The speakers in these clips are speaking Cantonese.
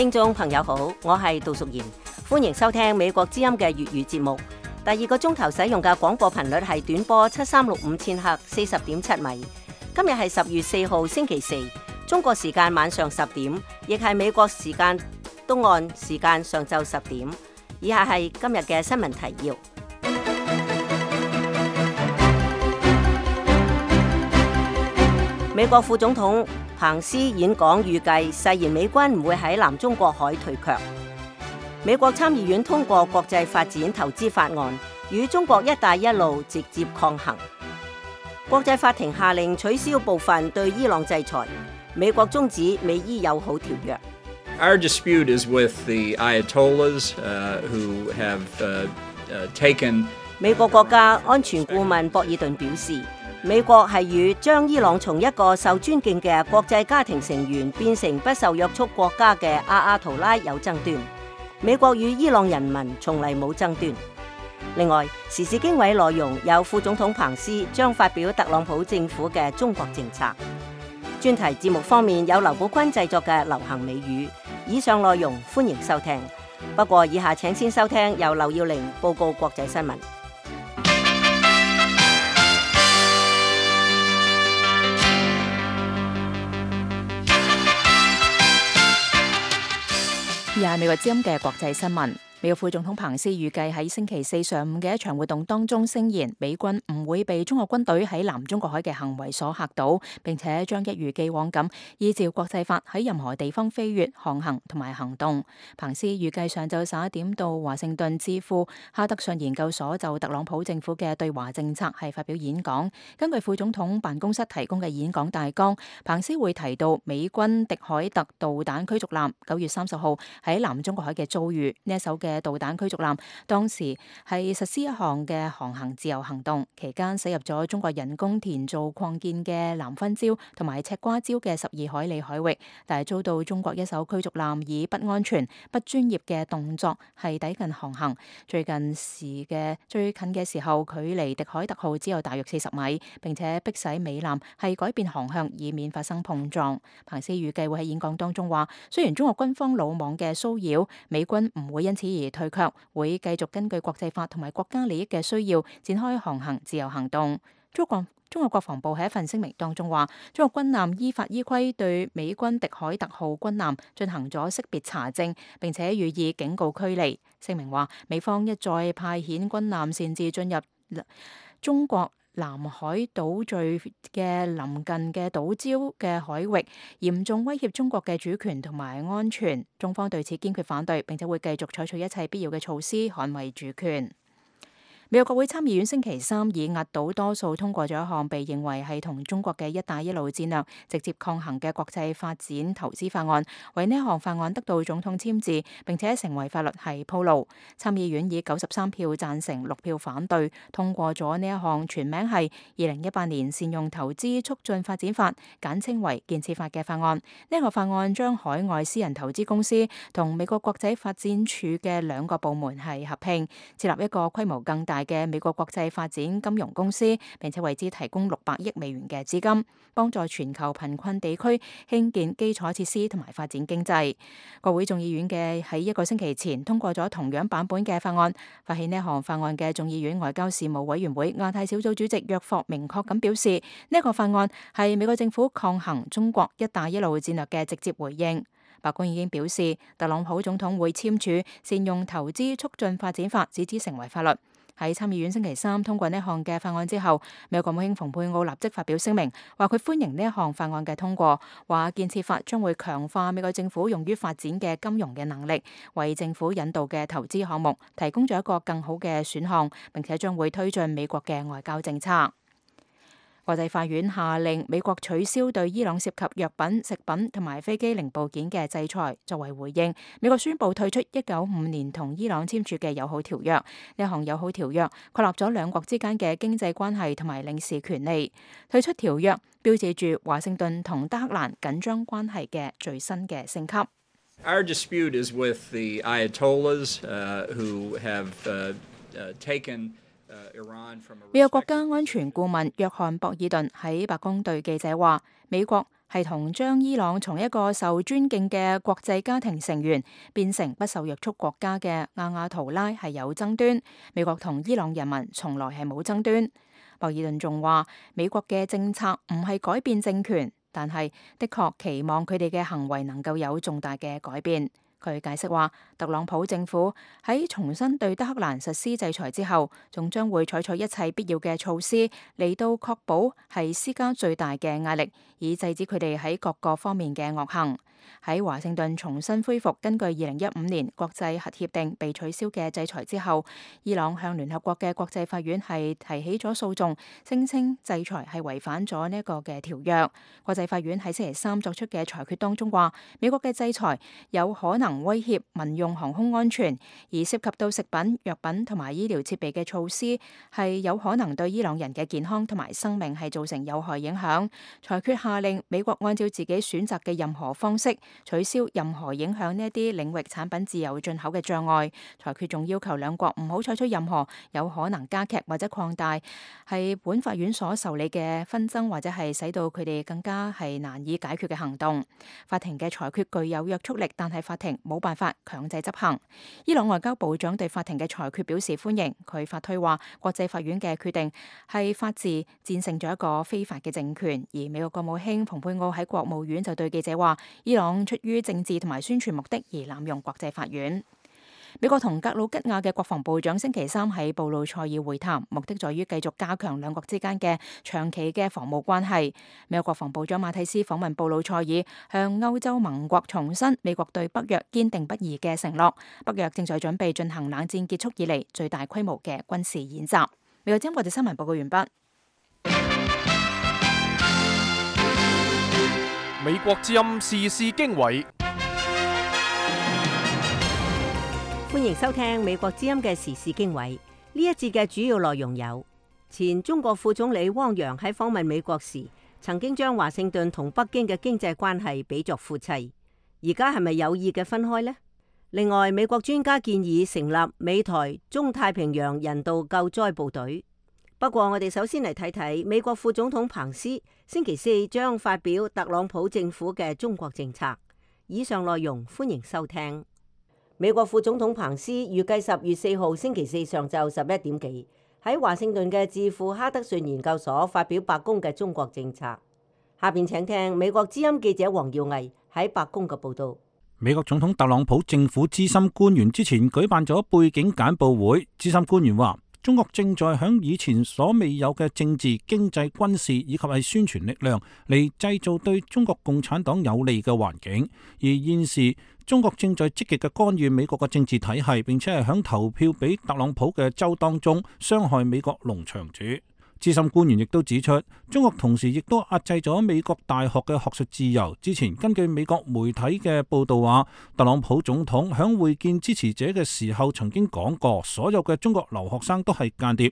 聽眾朋友好，我係杜淑賢，歡迎收聽美國之音嘅粵語節目。第二個鐘頭使用嘅廣播頻率係短波7365千赫40.7米。今日係10月4號星期四，中國時間晚上10點，亦係美國時間東岸時間上晝10點。以下係今日嘅新聞提要。美國副總統彭斯演講預計誓言美軍唔會喺南中國海退卻。美國參議院通過國際發展投資法案，與中國一帶一路直接抗衡。國際法庭下令取消部分對伊朗制裁。美國終止美伊友好條約。Our dispute is with the Ayatollahs who have taken. 美國國家安全顧問博爾頓表示，美國係與將伊朗從一個受尊敬嘅國際家庭成員變成不受約束國家嘅阿圖拉有爭端。美國與伊朗人民從嚟冇爭端。另外，時事經緯內容有副總統彭斯將發表特朗普政府嘅中國政策。專題節目方面有劉寶坤製作嘅流行美語。以上內容歡迎收聽。不過以下請先收聽由劉耀玲報告國際新聞。而係美國之音嘅國際新聞。美國副總統彭斯預計喺星期四上午嘅一場活動當中聲言，美軍唔會被中國軍隊喺南中國海嘅行為所嚇倒，並且將一如既往咁依照國際法喺任何地方飛越、航行同埋行動。彭斯預計上晝11點到華盛頓智庫哈德遜研究所就特朗普政府嘅對華政策係發表演講。根據副總統辦公室提供嘅演講大綱，彭斯會提到美軍迪凱特導彈驅逐艦9月30號喺南中國海嘅遭遇。呢一艘嘅導彈驅逐艦當時係實施一項嘅航行自由行動，期間駛入咗中國人工填造擴建嘅南分礁同埋赤瓜礁嘅12海里海域，但係遭到中國一艘驅逐艦以不安全、不專業嘅動作係抵近航行。最近嘅時候，距離迪凱特號只有大約40米，並且迫使美艦係改變航向，以免發生碰撞。彭斯預計會喺演講當中話，雖然中國軍方魯莽嘅騷擾，美軍唔會因此而退卻，會繼續根據國際法同埋國家利益嘅需要展開航行自由行動。中國國防部喺一份聲明當中話，中國軍艦依法依規對美軍迪凱特號軍艦進行咗識別查證，並且予以警告驅離。聲明話，美方一再派遣軍艦擅自進入中國南海島嶼嘅鄰近嘅島礁嘅海域，嚴重威脅中國嘅主權同埋安全。中方對此堅決反對，並且會繼續採取一切必要嘅措施捍衛主權。美國國會參議院星期三以壓倒多數通過咗一項被認為係同中國嘅一帶一路戰略直接抗衡嘅國際發展投資法案，為呢一項法案得到總統簽字並且成為法律係鋪路。參議院以93票贊成6票反對通過咗呢一項全名係2018年善用投資促進發展法，簡稱為建設法嘅法案。呢一個法案將海外私人投資公司同美國國際發展署嘅兩個部門係合併，設立一個規模更大嘅美國國際發展金融公司，並且為之提供600億美元嘅資金，幫助全球貧困地區興建基礎設施同埋發展經濟。國會眾議院嘅喺一個星期前通過咗同樣版本嘅法案。發起呢項法案嘅眾議院外交事務委員會亞太小組主席約霍明確咁表示，呢一個法案係美國政府抗衡中國一帶一路戰略嘅直接回應。白宮已經表示，特朗普總統會簽署善用投資促進發展法，使之成為法律。喺參議院星期三通過呢項嘅法案之後，美國國務卿蓬佩奧立即發表聲明，話佢歡迎呢一項法案嘅通過，話建設法將會強化美國政府用於發展嘅金融嘅能力，為政府引導嘅投資項目提供咗一個更好嘅選項，並且將會推進美國嘅外交政策。國際法院下令美國取消對伊朗涉及藥品、食品同埋飛機零部件嘅制裁。作為回應，美國宣布退出1995年同伊朗簽署嘅友好條約。呢項友好條約確立咗兩國之間嘅經濟關係同埋領事權利。退出條約標誌住華盛頓同德黑蘭緊張關係嘅最新嘅升級。Our dispute is with the Ayatollahs who have taken美國國家安全顧問約翰博爾頓喺白宮對記者話，美國係同將伊朗從一個受尊敬嘅國際家庭成員變成不受約束國家嘅亞亞圖拉係有爭端，美國同伊朗人民從來係冇爭端。博爾頓仲話，美國嘅政策唔係改變政權，但係的確期望佢哋嘅行為能夠有重大嘅改變。佢解釋話，特朗普政府喺重新對德黑蘭實施制裁之後，仲將會採取一切必要嘅措施嚟到確保係施加最大嘅壓力，以制止佢哋喺各個方面嘅惡行。喺華盛頓重新恢復根據2015年國際核協定被取消嘅制裁之後，伊朗向聯合國嘅國際法院係提起咗訴訟，聲稱制裁係違反咗呢一個嘅條約。國際法院喺星期三作出嘅裁決當中話，美國嘅制裁有可能威脅民用航空安全，而涉及到食品、藥品同埋醫療設備嘅措施係有可能對伊朗人嘅健康同埋生命係造成有害影響。裁決下令美國按照自己選擇嘅任何方式取消任何影響呢一啲領域產品自由進口嘅障礙。裁決仲要求兩國唔好採取任何有可能加劇或者擴大係本法院所受理嘅紛爭，或者係使到佢哋更加係難以解決嘅行動。法庭嘅裁決具有約束力，但係法庭冇辦法強制執行。伊朗外交部長對法庭嘅裁決表示歡迎，佢發推話國際法院嘅決定係法治戰勝咗一個非法嘅政權。而美國國務卿蓬佩奧喺國務院就對記者話，伊朗出於政治同埋宣傳目的而濫用國際法院。美國同格魯吉亞嘅國防部長星期三喺布魯塞爾會談，目的在於繼續加強兩國之間嘅長期嘅防務關係。美國國防部長馬蒂斯訪問布魯塞爾，向歐洲盟國重申美國對北約堅定不移嘅承諾。北約正在準備進行冷戰結束以嚟最大規模嘅軍事演習。美國之音國際新聞報告完畢。美國之音時事經緯。歡迎收聽美國之音嘅時事經緯。呢一節嘅主要內容有：前中國副總理汪洋喺訪問美國時，曾經將華盛頓同北京嘅經濟關係比作夫妻，而家係咪有意嘅分開呢？另外，美國專家建議成立美台中太平洋人道救災部隊。不過，我哋首先嚟睇睇美國副總統彭斯星期四將發表特朗普政府嘅中國政策。以上內容歡迎收聽。美國副總統彭斯預計10月4號星期四上晝11點幾喺華盛頓嘅智庫哈德遜研究所發表白宮嘅中國政策。下邊請聽美國之音記者黃耀毅喺白宮嘅報道。美國總統特朗普政府資深官員之前舉辦咗背景簡報會，資深官員話，中國正在響以前所未有嘅政治、經濟、軍事以及係宣傳力量嚟製造對中國共產黨有利嘅環境，而現時中國正在積極嘅干預美國嘅政治體系，並且係響投票俾特朗普嘅州當中傷害美國農場主。資深官員亦都指出，中國同時亦都壓制咗美國大學嘅學術自由。之前根據美國媒體嘅報道話，特朗普總統響會見支持者嘅時候曾經講過，所有嘅中國留學生都係間諜。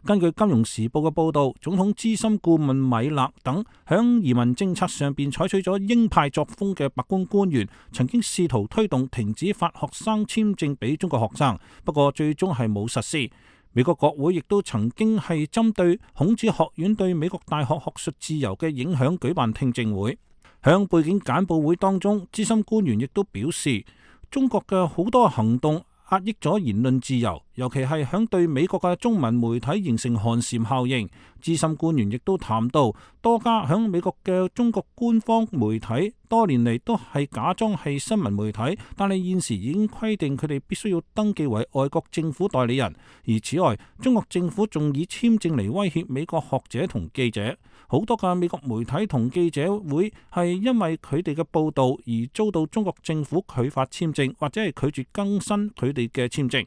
根據《金融時報》嘅報道，總統資深顧問米勒等響移民政策上邊採取咗鷹派作風嘅白宮官員，曾經試圖推動停止發學生簽證俾中國學生，不過最終係冇實施。美國國會亦都曾經係針對孔子學院對美國大學學術自由嘅影響舉辦聽證會。響背景簡報會當中，資深官員亦都表示，中國嘅好多行動壓抑咗言論自由，尤其係響對美國嘅中文媒體形成寒蟬效應。資深官員亦都談到，多家響美國嘅中國官方媒體多年嚟都係假裝係新聞媒體，但係現時已經規定佢哋必須要登記為外國政府代理人。而此外，中國政府仲以簽證嚟威脅美國學者同記者。好多嘅美國媒體同記者會係因為佢哋嘅報道而遭到中國政府拒發簽證，或者係拒絕更新佢哋嘅簽證。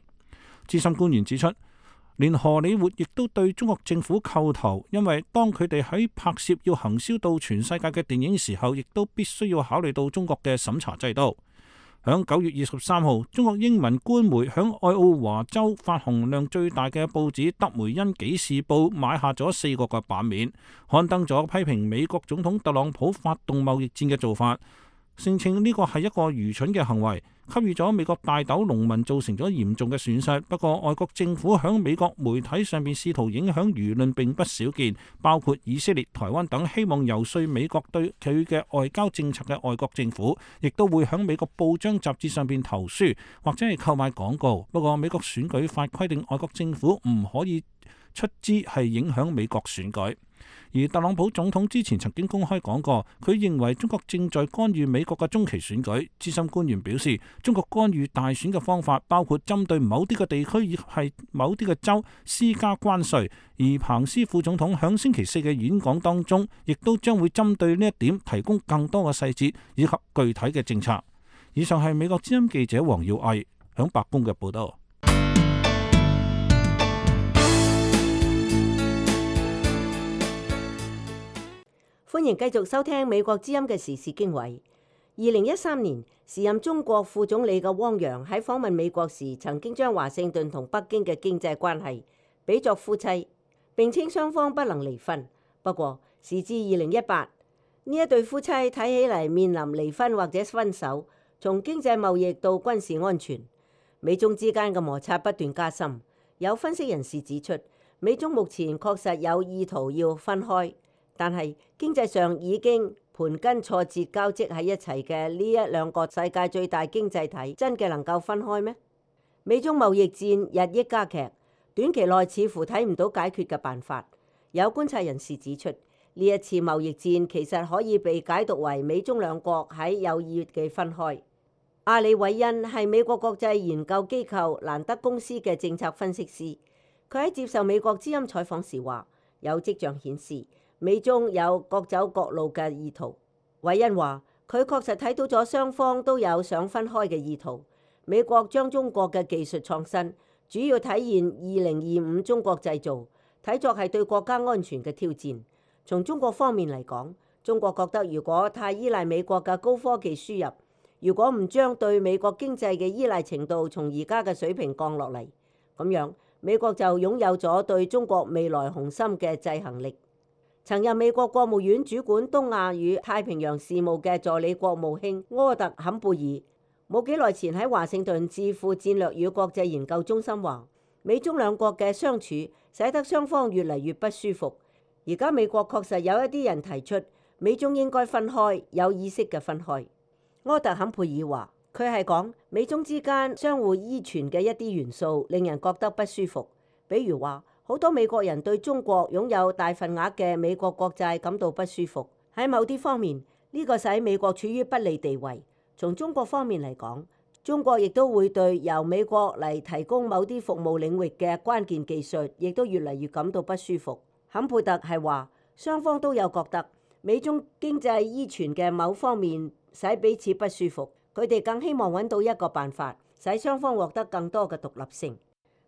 資深官員指出，連荷里活亦都對中國政府叩頭，因為當佢哋喺拍攝要行銷到全世界嘅電影時候，亦都必須要考慮到中國嘅審查制度。響9月23號，中國英文官媒響愛奧華州發行量最大嘅報紙《德梅恩紀事報》買下咗4個嘅版面，刊登咗批評美國總統特朗普發動貿易戰嘅做法。聲稱呢個係一個愚蠢嘅行為，給予咗美國大豆農民造成咗嚴重嘅損失。不過，外國政府響美國媒體上邊試圖影響輿論並不少見，包括以色列、台灣等希望游說美國對佢嘅外交政策嘅外國政府，亦都會響美國報章雜誌上邊投書或者係購買廣告。不過，美國選舉法規定外國政府唔可以出資係影響美國選舉。而特朗普總統之前曾經公開講過，佢認為中國正在干預美國嘅中期選舉。資深官員表示，中國干預大選嘅方法包括針對某啲嘅地區以及係某啲嘅州施加關稅。而彭斯副總統響星期四嘅演講當中，亦都將會針對呢一點提供更多嘅細節以及具體嘅政策。以上係美國之音記者黃耀毅響白宮嘅報道。歡迎繼續收聽美國之音嘅時事經緯。2013年，時任中國副總理嘅汪洋喺訪問美國時，曾經將華盛頓同北京嘅經濟關係比作夫妻，並稱雙方不能離婚。不過，時至2018，呢一對夫妻睇起嚟面臨離婚或者分手。從經濟貿易到軍事安全，美中之間嘅摩擦不斷加深。有分析人士指出，美中目前確實有意圖要分開。但係經濟上已經盤根錯節交織喺一齊嘅呢一兩個世界最大經濟體，真嘅能夠分開咩？美中貿易戰日益加劇，短期內似乎睇唔到解決嘅辦法。有觀察人士指出，呢一次貿易戰其實可以被解讀為美中兩國喺有意嘅分開。阿里韋恩係美國國際研究機構蘭德公司嘅政策分析師，佢喺接受美國之音採訪時話，有跡象顯示美中有各走各路嘅意圖。韋恩話，佢確實睇到咗雙方都有想分開嘅意圖。美國將中國嘅技術創新主要體現2025中國製造，睇作係對國家安全嘅挑戰。從中國方面嚟講，中國覺得如果太依賴美國嘅高科技輸入，如果唔將對美國經濟嘅依賴程度從而家嘅水平降落嚟，咁樣美國就擁有咗對中國未來雄心嘅制衡力。曾任美國國務院主管東亞與太平洋事務嘅助理國務卿柯特坎貝爾，冇幾耐前喺華盛頓智庫戰略與國際研究中心話，美中兩國嘅相處使得雙方越嚟越不舒服。而家美國確實有一啲人提出美中應該分開，有意識嘅分開。柯特坎貝爾話，佢係講美中之間相互依存嘅一啲元素令人覺得不舒服，比如話，好多美國人對中國擁有大份額嘅美國國債感到不舒服。喺某啲方面，呢個使美國處於不利地位。從中國方面嚟講，中國亦都會對由美國嚟提供某啲服務領域嘅關鍵技術，亦都越嚟越感到不舒服。坎佩特係話，雙方都有覺得美中經濟依存嘅某方面使彼此不舒服。佢哋更希望揾到一個辦法，使雙方獲得更多嘅獨立性。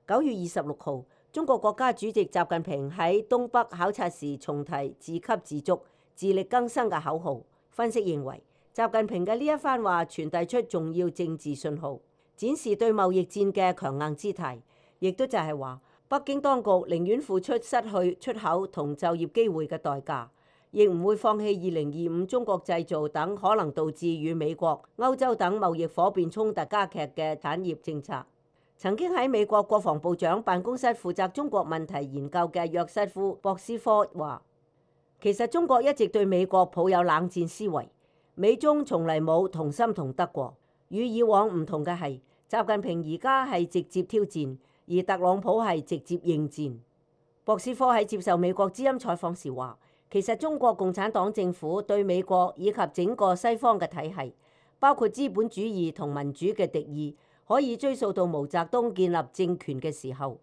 9月26號。中國國家主席習近平喺東北考察時重提自給自足、自力更生嘅口號。分析認為，習近平嘅呢一番話傳遞出重要政治信號，展示對貿易戰嘅強硬姿態，亦都就係話，北京當局寧願付出失去出口同就業機會嘅代價，亦唔會放棄2025中國製造等可能導致與美國、歐洲等貿易夥伴衝突加劇嘅產業政策。曾經喺美國國防部長辦公室負責中國問題研究嘅約瑟夫·博斯科話，其實中國一直對美國抱有冷戰思維，美中從嚟冇同心同德過。與以往唔同嘅係，習近平而家係直接挑戰，而特朗普係直接應戰。博斯科喺接受美國之音採訪時話，其實中國共產黨政府對美國以及整個西方嘅體系，包括資本主義同民主嘅敵意，可以追溯到毛澤東建立政權嘅時候。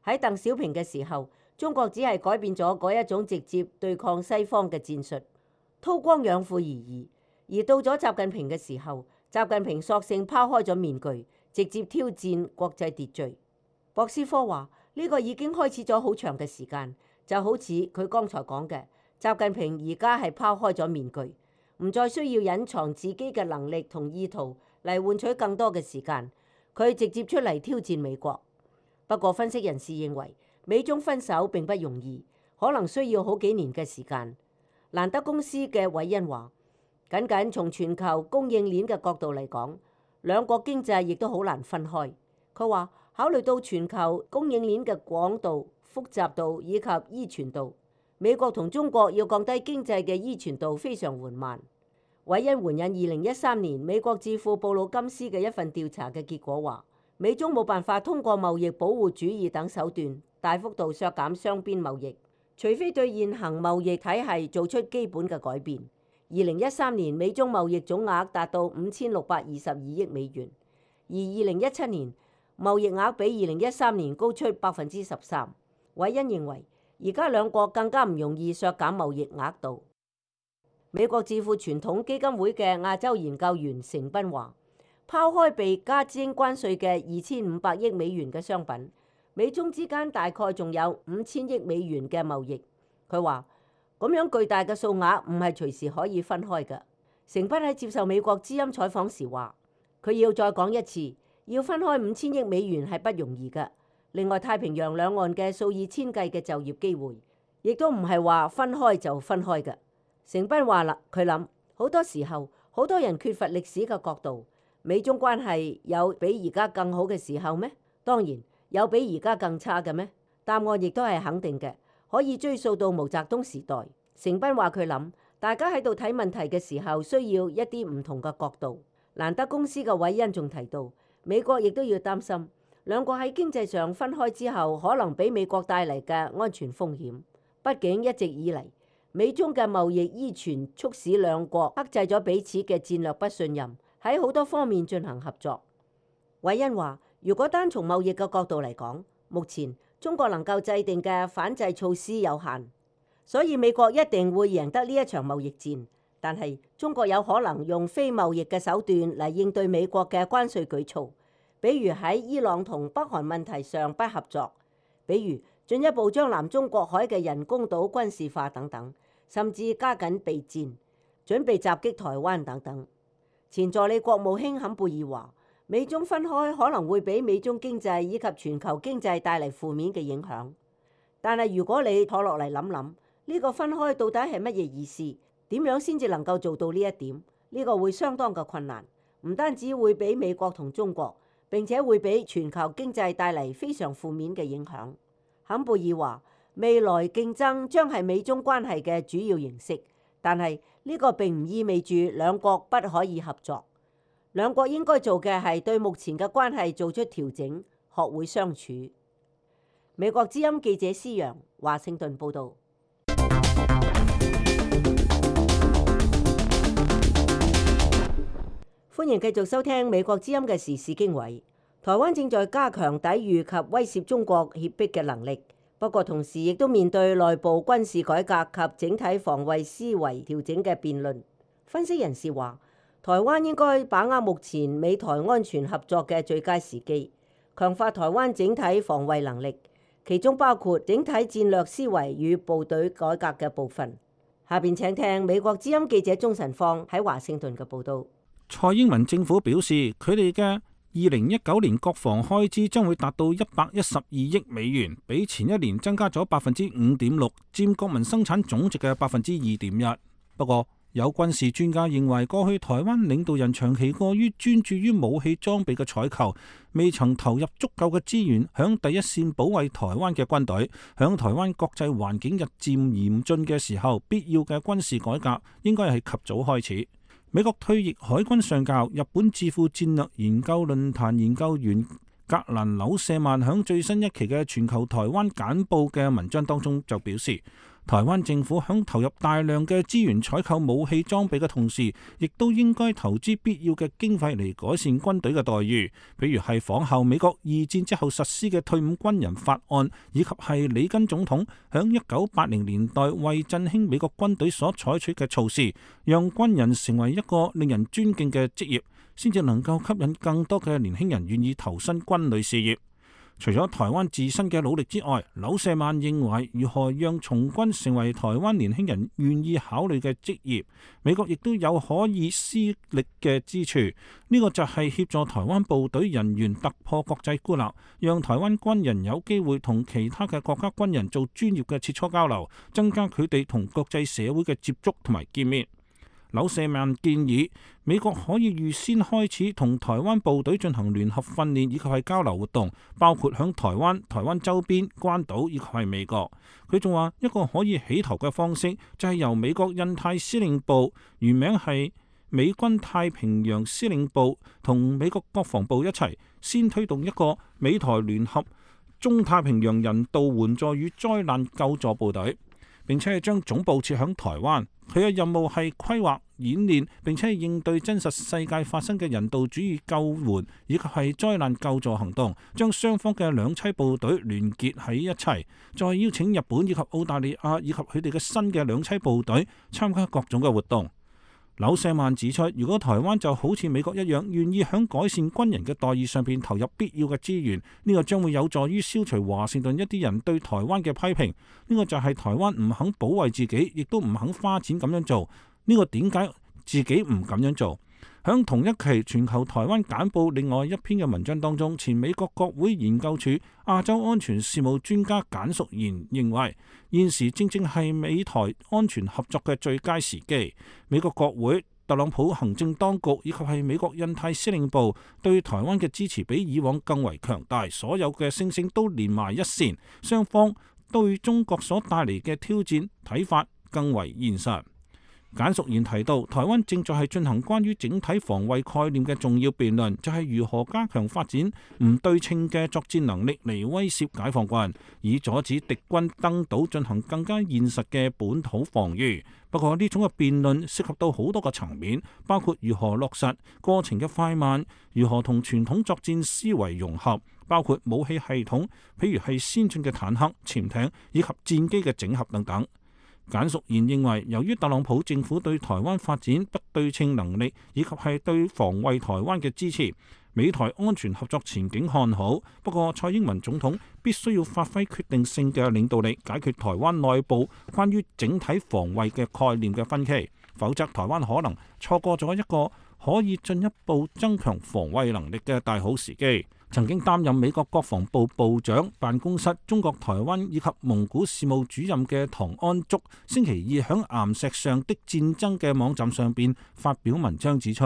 喺鄧小平嘅時候，中國只係改變咗嗰一種直接對抗西方嘅戰術，韜光養晦而已。而到咗習近平嘅時候，習近平索性拋開咗面具，直接挑戰國際秩序。博斯科話，呢個已經開始咗好長嘅時間，就好似佢剛才講嘅，習近平而家係拋開咗面具，唔再需要隱藏自己嘅能力同意圖嚟換取更多嘅時間。佢直接出嚟挑戰美國。不過分析人士認為，美中分手並不容易，可能需要好幾年嘅時間。蘭德公司嘅韋恩話，僅僅從全球供應鏈嘅角度嚟講，兩國經濟亦都好難分開。佢話考慮到全球供應鏈嘅廣度、複雜度以及依存度，美國同中國要降低經濟嘅依存度非常緩慢。韋恩援引2013年美國智庫布魯金斯嘅一份調查嘅結果話，美中冇辦法通過貿易保護主義等手段大幅度削減雙邊貿易，除非對現行貿易體系做出基本嘅改變。2013年美中貿易總額達到5622億美元，而2017年貿易額比2013年高出13%。韋恩認為，而家兩國更加唔容易削減貿易額度。美國智庫傳統基金會嘅亞洲研究員成斌話，拋開被加徵關稅嘅2500億美元嘅商品，美中之間大概仲有5000億美元嘅貿易。佢話咁樣巨大嘅數額唔係隨時可以分開嘅。成斌喺接受美國之音採訪時話，佢要再講一次，要分開5000億美元係不容易嘅。另外，太平洋兩岸嘅數以千計嘅就業機會，亦都唔係話分開就分開嘅。成斌話啦，佢諗好多時候，好多人缺乏歷史嘅角度。美中關係有比而家更好嘅時候咩？當然有比而家更差嘅咩？答案亦都係肯定嘅，可以追溯到毛澤東時代。成斌話佢諗，大家喺度睇問題嘅時候，需要一啲唔同嘅角度。蘭德公司嘅韋恩仲提到，美國亦都要擔心，兩國喺經濟上分開之後，可能俾美國帶嚟嘅安全風險。畢竟一直以嚟，美中嘅貿易依存促使兩國克制咗彼此嘅戰略不信任，喺好多方面進行合作。韋恩話，如果單從貿易嘅角度嚟講，目前中國能夠制定嘅反制措施有限，所以美國一定會贏得呢一場貿易戰。但係中國有可能用非貿易嘅手段嚟應對美國嘅關稅舉措，比如喺伊朗同北韓問題上不合作，比如進一步將南中國海嘅人工島軍事化等等。甚至加緊備戰，準備襲擊台灣等等。前助理國務卿坎貝爾話，美中分開可能會俾美中經濟以及全球經濟帶嚟負面嘅影響。但係如果你坐落嚟諗諗，呢個分開到底係乜嘢意思？點樣先至能夠做到呢一點？呢個會相當嘅困難，唔單止會俾美國同中國，並且會俾全球經濟帶嚟非常負面嘅影響。坎貝爾話，未來競爭將係美中關係嘅主要形式，但係呢個並唔意味住兩國不可以合作。兩國應該做嘅係對目前嘅關係做出調整，學會相處。美國之音記者施揚，華盛頓報導。歡迎繼續收聽美國之音嘅時事經緯。台灣正在加強抵禦及威懾中國脅迫嘅能力。不過同時亦都面對內部軍事改革及整體防衛思維調整嘅辯論。分析人士話，台灣應該把握目前美台安全合作嘅最佳時機，強化台灣整體防衛能力，其中包括整體戰略思維與部隊改革嘅部分。下邊請聽美國之音記者鍾晨芳喺華盛頓嘅報導。蔡英文政府表示，佢哋嘅2019年國防開支將會達到112億美元，比前一年增加咗5.6%，佔國民生產總值嘅2.1%。不過，有軍事專家認為，過去台灣領導人長期過於專注於武器裝備嘅採購，未曾投入足夠嘅資源響第一線保衛台灣嘅軍隊。響台灣國際環境日漸嚴峻嘅時候，必要嘅軍事改革應該係及早開始。美國退役海軍上校、日本智庫戰略研究論壇研究員格蘭紐舍曼響最新一期嘅全球台灣簡報嘅文章當中就表示，台灣政府響投入大量嘅資源採購武器裝備嘅同時，亦都應該投資必要嘅經費嚟改善軍隊嘅待遇，比如係仿效美國二戰之後實施嘅退伍軍人法案，以及係里根總統響1980年代為振興美國軍隊所採取嘅措施，讓軍人成為一個令人尊敬嘅職業，先至能夠吸引更多嘅年輕人願意投身軍旅事業。除咗台灣自身嘅努力之外，紐舍曼認為如何讓從軍成為台灣年輕人願意考慮嘅職業，美國亦都有可以施力嘅之處。呢個就係協助台灣部隊人員突破國際孤立，讓台灣軍人有機會同其他嘅國家軍人做專業嘅切磋交流，增加佢哋同國際社會嘅接觸同埋見面。柳舍曼建議美國可以預先開始同台灣部隊進行聯合訓練以及係交流活動，包括響台灣周邊、關島以及係美國。佢仲話一個可以起頭嘅方式就係由美國印太司令部，原名係美軍太平洋司令部，同美國國防部一齊先推動一個美台聯合中太平洋人道援助與災難救助部隊，並且係將總部設響台灣。佢嘅任務係規劃演練，並且係應對真實世界發生嘅人道主義救援以及係災難救助行動，將雙方嘅兩棲部隊聯結喺一齊，再邀請日本以及澳大利亞以及佢哋嘅新嘅兩棲部隊參加各種嘅活動。柳舍曼指出，如果台灣就好似美國一樣，願意響改善軍人嘅待遇上邊投入必要嘅資源，呢個將會有助於消除華盛頓一啲人對台灣嘅批評。呢個就係台灣唔肯保衛自己，亦都唔肯花錢咁樣做。呢個點解自己唔咁樣做？響同一期全球台灣簡報另外一篇嘅文章當中，前美國國會研究處亞洲安全事務專家簡淑賢認為，現時正正係美台安全合作嘅最佳時機。美國國會、特朗普行政當局以及係美國印太司令部對台灣嘅支持比以往更為強大，所有嘅星星都連埋一線，雙方對中國所帶嚟嘅挑戰睇法更為現實。簡淑賢提到，台灣正在係進行關於整體防衛概念嘅重要辯論，就係如何加強發展唔對稱嘅作戰能力嚟威懾解放軍，以阻止敵軍登島進行更加現實嘅本土防禦。不過呢種嘅辯論涉及到好多個層面，包括如何落實過程嘅快慢，如何同傳統作戰思維融合，包括武器系統，譬如係先進嘅坦克、潛艇以及戰機嘅整合等等。簡淑賢認為，由於特朗普政府對台灣發展不對稱能力以及係對防衛台灣嘅支持，美台安全合作前景看好。不過蔡英文總統必須要發揮決定性嘅領導力，解決台灣內部關於整體防衛嘅概念嘅分歧，否則台灣可能錯過咗一個可以進一步增強防衛能力嘅大好時機。曾經擔任美國國防部部長辦公室中國台灣以及蒙古事務主任嘅唐安竹，星期二響岩石上的戰爭嘅網站上邊發表文章指出，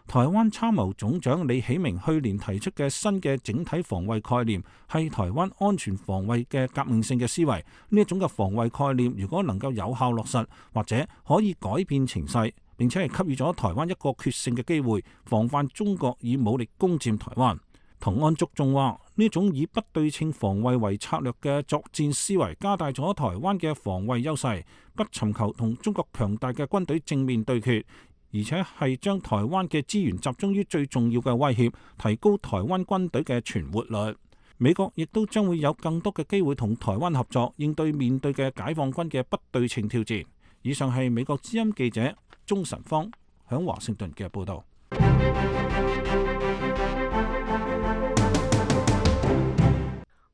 台灣參謀總長李喜明去年提出嘅新嘅整體防衛概念係台灣安全防衛嘅革命性嘅思維。呢一種嘅防衛概念如果能夠有效落實，或者可以改變情勢，並且係給予咗台灣一個決勝嘅機會，防範中國以武力攻佔台灣。唐安竹仲話，呢種以不對稱防衛為策略嘅作戰思維，加大咗台灣嘅防衛優勢，不尋求同中國強大嘅軍隊正面對決，而且係將台灣嘅資源集中於最重要嘅威脅，提高台灣軍隊嘅存活率。美國亦都將會有更多嘅機會同台灣合作，應對面對嘅解放軍嘅不對稱挑戰。以上係美國之音記者鍾晨芳響華盛頓嘅報導。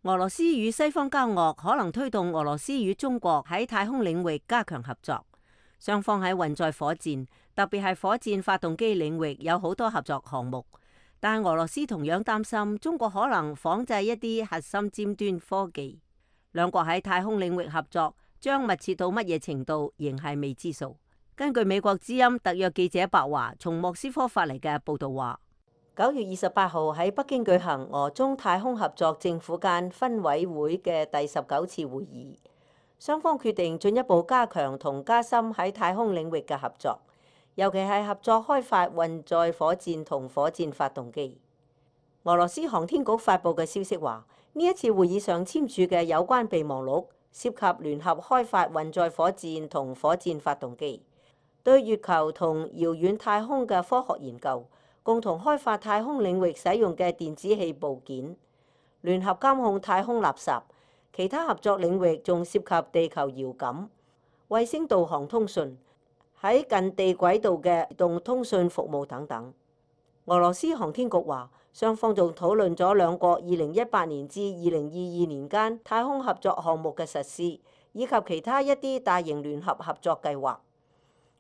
俄羅斯與西方交惡，可能推動俄羅斯與中國喺太空領域加強合作。雙方喺運載火箭，特別係火箭發動機領域有好多合作項目。但俄羅斯同樣擔心中國可能仿製一啲核心尖端科技。兩國喺太空領域合作將密切到乜嘢程度，仍係未知數。根據美國之音特約記者白華從莫斯科發嚟嘅報道話，9月28號喺北京舉行俄中太空合作政府間分委會嘅第19次會議，雙方決定進一步加強同加深喺太空領域嘅合作，尤其係合作開發運載火箭同火箭發動機。俄羅斯航天局發布嘅消息話，呢一次會議上簽署嘅有關備忘錄涉及聯合開發運載火箭同火箭發動機，對月球同遙遠太空嘅科學研究，共同開發太空領域使用嘅電子器部件，聯合監控太空垃圾。其他合作領域仲涉及地球遙感、衛星導航通訊、喺近地軌道嘅移動通訊服務等等。俄羅斯航天局話，雙方仲討論咗兩國2018年至2022年間太空合作項目嘅實施，以及其他一啲大型聯合合作計劃。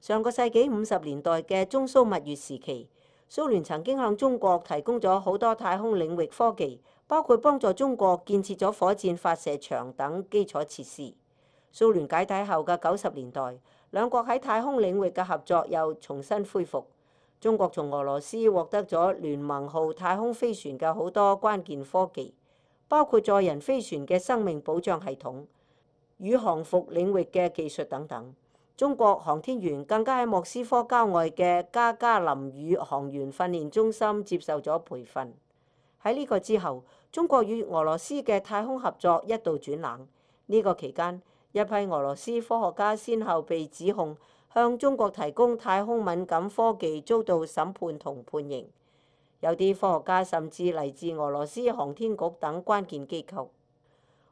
上個世紀50年代嘅中蘇蜜月時期，蘇聯曾經向中國提供咗好多太空領域科技，包括幫助中國建設咗火箭發射場等基礎設施。蘇聯解體後嘅90年代，兩國喺太空領域嘅合作又重新恢復。中國從俄羅斯獲得咗聯盟號太空飛船嘅好多關鍵科技，包括載人飛船嘅生命保障系統、宇航服領域嘅技術等等。中國航天員更加喺莫斯科郊外嘅加加林宇航員訓練中心接受咗培訓。喺呢個之後，中國與俄羅斯嘅太空合作一度轉冷。呢個期間，一批俄羅斯科學家先後被指控向中國提供太空敏感科技，遭到審判同判刑。有啲科學家甚至嚟自俄羅斯航天局等關鍵機構。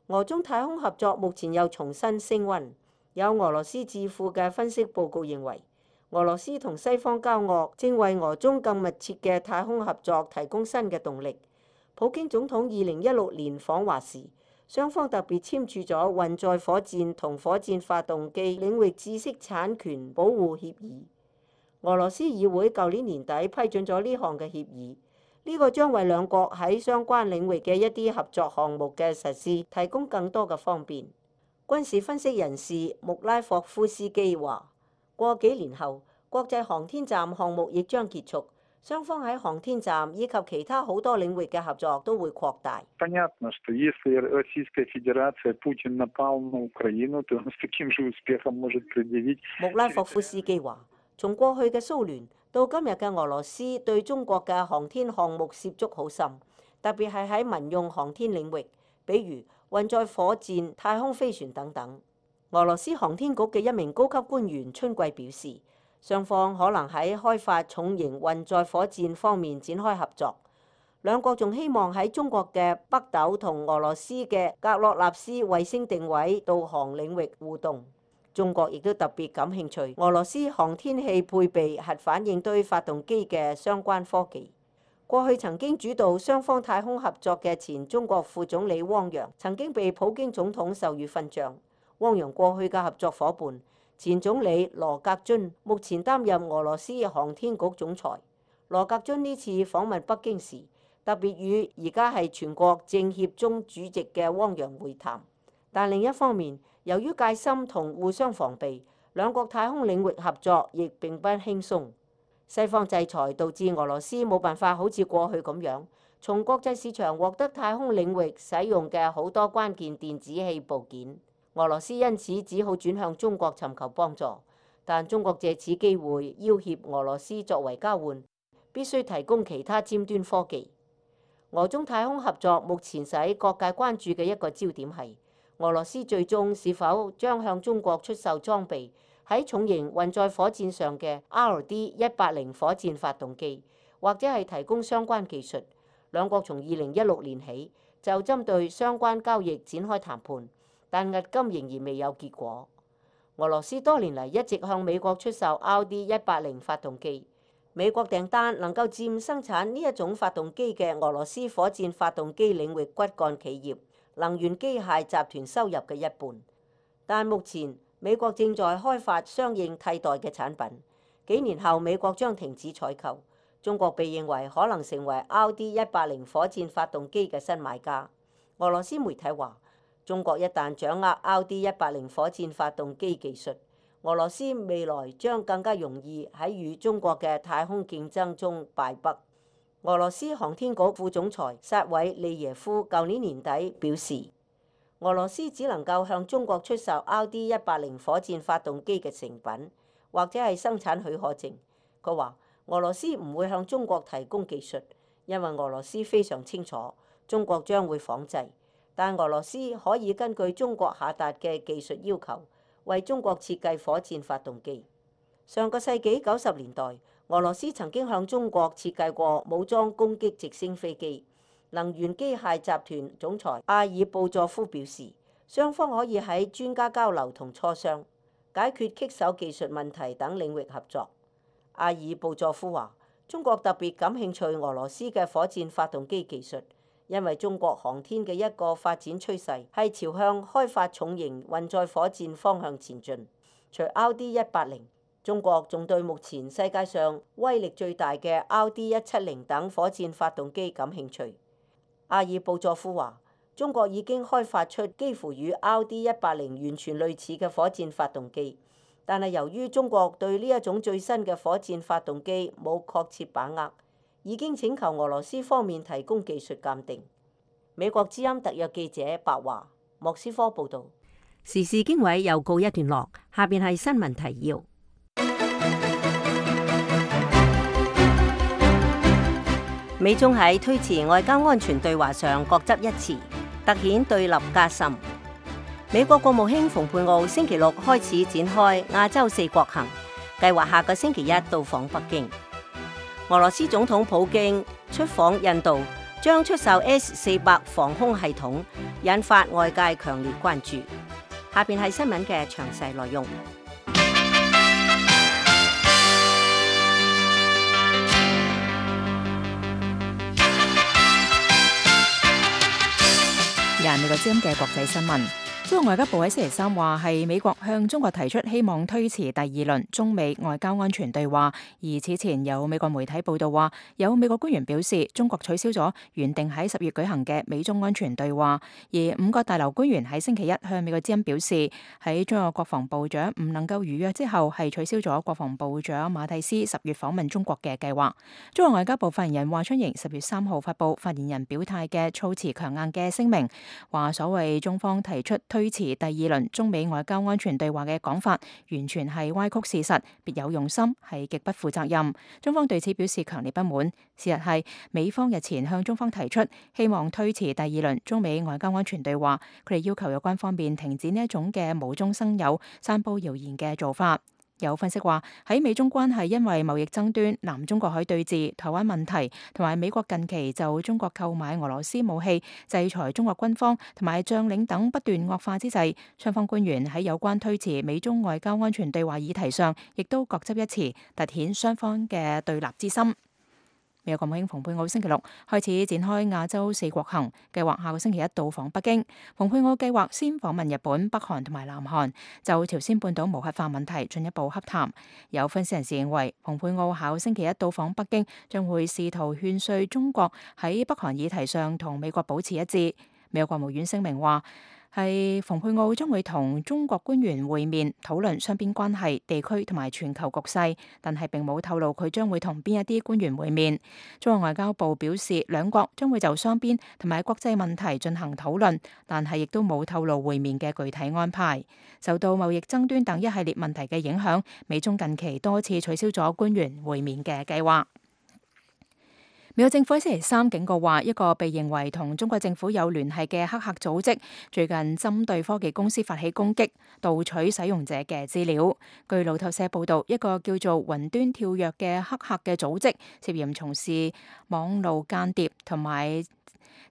俄中太空合作目前又重新升溫。有俄羅斯智庫嘅分析報告認為，俄羅斯同西方交惡正為俄中更密切嘅太空合作提供新嘅動力。普京總統2016年訪華時，雙方特別簽署咗運載火箭同火箭發動機領域知識產權保護協議。俄羅斯議會舊年年底批准咗呢項嘅協議，呢個將為兩國喺相關領域嘅一啲合作項目嘅實施提供更多嘅方便。軍事分析人士穆拉霍夫斯基話，過幾年後，國際航天站項目亦將結束，雙方喺航天站以及其他好多領域嘅合作都會擴大。穆拉霍夫斯基話，從過去嘅蘇聯到今日嘅俄羅斯，對中國嘅航天項目涉足好深，特別係喺民用航天領域，比如運載火箭、太空飛船等等。俄羅斯航天局嘅一名高級官員春季表示，雙方可能喺開發重型運載火箭方面展開合作。兩國仲希望喺中國嘅北斗同俄羅斯嘅格洛納斯衛星定位導航領域互動。中國亦都特別感興趣俄羅斯航天器配備核反應堆發動機嘅相關科技。過去曾經主導雙方太空合作嘅前中國副總理汪洋，曾經被普京總統授予勳章。汪洋過去嘅合作夥伴，前總理羅格津，目前擔任俄羅斯航天局總裁。羅格津呢次訪問北京時，特別與而家係全國政協中主席嘅汪洋會談。但另一方面，由於戒心同互相防備，兩國太空領域合作亦並不輕鬆。西方制裁導致俄羅斯冇辦法好似過去咁樣，從國際市場獲得太空領域使用嘅好多關鍵電子器部件。俄羅斯因此只好轉向中國尋求幫助，但中國借此機會要挾俄羅斯作為交換，必須提供其他尖端科技。俄中太空合作目前使各界關注嘅一個焦點係，俄羅斯最終是否將向中國出售裝備喺重型運載火箭上嘅 RD-180火箭發動機，或者係提供相關技術。兩國從2016年起就針對相關交易展開談判，但至今仍然未有結果。俄羅斯多年嚟一直向美國出售 RD-180發動機，美國訂單能夠佔生產呢一種發動機嘅俄羅斯火箭發動機領域骨幹企業能源機械集團收入嘅一半。但目前美國正在開發相應替代嘅產品，幾年後美國將停止採購。中國被認為可能成為 RD-180火箭發動機嘅新買家。俄羅斯媒體話，中國一旦掌握 RD-180火箭發動機技術，俄羅斯未來將更加容易喺與中國嘅太空競爭中敗北。俄羅斯航天局副總裁薩韋利耶夫舊年年底表示，俄羅斯只能夠向中國出售 RD-180火箭發動機嘅成品，或者係生產許可證。佢話俄羅斯唔會向中國提供技術，因為俄羅斯非常清楚中國將會仿製，但俄羅斯可以根據中國下達嘅技術要求，為中國設計火箭發動機。上個世紀90年代，俄羅斯曾經向中國設計過武裝攻擊直升飛機。能源機械集團總裁阿爾布佐夫表示，雙方可以喺專家交流同磋商、解決棘手技術問題等領域合作。阿爾布佐夫話，中國特別感興趣俄羅斯嘅火箭發動機技術，因為中國航天嘅一個發展趨勢係朝向開發重型運載火箭方向前進。除 RD-180，中國仲對目前世界上威力最大嘅 RD-170等火箭發動機感興趣。阿爾布佐夫話，中國已經開發出幾乎與 RD-180完全類似嘅火箭發動機，但係由於中國對呢一種最新嘅火箭發動機冇確切把握，已經請求俄羅斯方面提供技術鑑定。美國之音特約記者白華，莫斯科報導。時事經緯又告一段落，下邊係新聞提要。美中喺推遲外交安全對話上各執一詞，凸顯對立加深。美國國務卿蓬佩奧星期六開始展開亞洲4國行，計劃下個星期一到訪北京。俄羅斯總統普京出訪印度，將出售 S-400防空系統，引發外界強烈關注。下邊係新聞嘅詳細內容。美國之音嘅國際新聞。中國外交部喺星期三話係美國向中國提出希望推遲第二輪中美外交安全對話，而此前有美國媒體報道話，有美國官員表示中國取消咗原定喺10月舉行嘅美中安全對話，而5個大樓官員喺星期一向美國之音表示，喺中國國防部長唔能夠如約之後，係取消咗國防部長馬蒂斯10月訪問中國嘅計劃。中國外交部發言人華春瑩10月3號發布發言人表態嘅措辭強硬嘅聲明，話所謂中方提出推遲第二輪中美外交安全對話嘅講法，完全係歪曲事實，別有用心，係極不負責任。中方對此表示強烈不滿。事實係美方日前向中方提出希望推遲第二輪中美外交安全對話，佢哋要求有關方面停止呢一種嘅無中生有、散佈謠言嘅做法。有分析話，喺美中關係因為貿易爭端、南中國海對峙、台灣問題同埋美國近期就中國購買俄羅斯武器、制裁中國軍方同埋將領等不斷惡化之際，雙方官員喺有關推遲美中外交安全對話議題上，亦都各執一詞，凸顯雙方嘅對立之心。美國國務卿蓬佩奧星期六開始展開亞洲4國行，計劃下個星期一到訪北京。蓬佩奧計劃先訪問日本、北韓同埋南韓，就朝鮮半島無核化問題進一步洽談。有分析人士認為，蓬佩奧下個星期一到訪北京，將會試圖勸說中國喺北韓議題上同美國保持一致。美國國務院聲明話，係蓬佩奧將會同中國官員會面，討論雙邊關係、地區同埋全球局勢，但係並冇透露佢將會同邊一啲官員會面。中國外交部表示，兩國將會就雙邊同埋國際問題進行討論，但係亦都冇透露會面嘅具體安排。受到貿易爭端等一系列問題嘅影響，美中近期多次取消咗官員會面嘅計劃。美國政府喺星期三警告話，一個被認為同中國政府有聯繫嘅黑客組織，最近針對科技公司發起攻擊，盜取使用者嘅資料。據路透社報道，一個叫做雲端跳躍嘅黑客嘅組織，涉嫌從事網路間諜同埋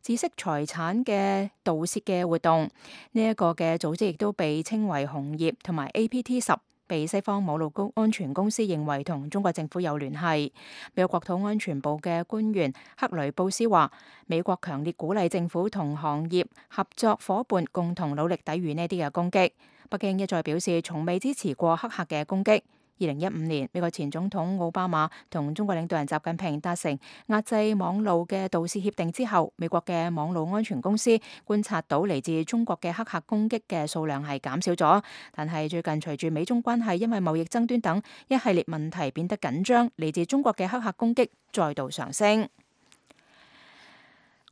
知識財產嘅盜竊嘅活動。呢一個嘅組織亦都被稱為紅葉同埋 APT10。被西方網絡安全公司認為同中國政府有聯繫。美國國土安全部嘅官員克雷布斯話，美國強烈鼓勵政府同行業合作夥伴共同努力抵禦呢啲嘅攻擊。北京一再表示從未支持過黑客嘅攻擊。2015年，美國前總統奧巴馬同中國領導人習近平達成壓制網路嘅盜竊協定之後，美國嘅網路安全公司觀察到嚟自中國嘅黑客攻擊嘅數量係減少咗，但係最近隨住美中關係因為貿易爭端等一系列問題變得緊張，嚟自中國嘅黑客攻擊再度上升。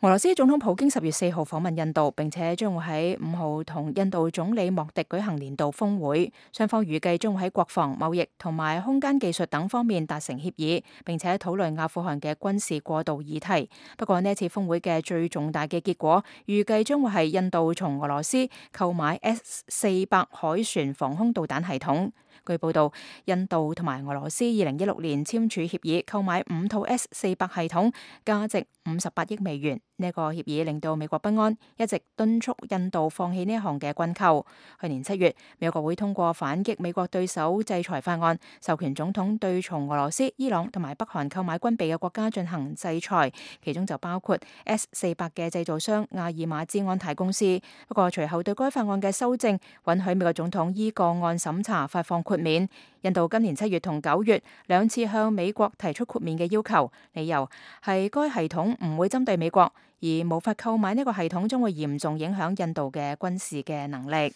俄羅斯總統普京10月4號訪問印度，並且將會喺5號同印度總理莫迪舉行年度峰會，雙方預計將會喺國防、貿易同埋空間技術等方面達成協議，並且討論阿富汗嘅軍事過渡議題。不過呢次峰會嘅最重大嘅結果，預計將會係印度從俄羅斯購買 S-400海船防空導彈系統。據報道，印度同埋俄羅斯2016年簽署協議，購買5套 S-400系統，價值58億美元。呢個協議令到美國不安，一直敦促印度放棄呢一項嘅軍購。去年7月，美國國會通過反擊美國對手制裁法案，授權總統對從俄羅斯、伊朗同埋北韓購買軍備嘅國家進行制裁，其中就包括 S-400嘅製造商阿爾馬茲安泰公司。不過隨後對該法案嘅修正，允許美國總統依個案審查發放豁免。印度今年7月同9月兩次向美國提出豁免嘅要求，理由係該系統唔會針對美國，而無法購買呢個系統將會嚴重影響印度嘅軍事嘅能力。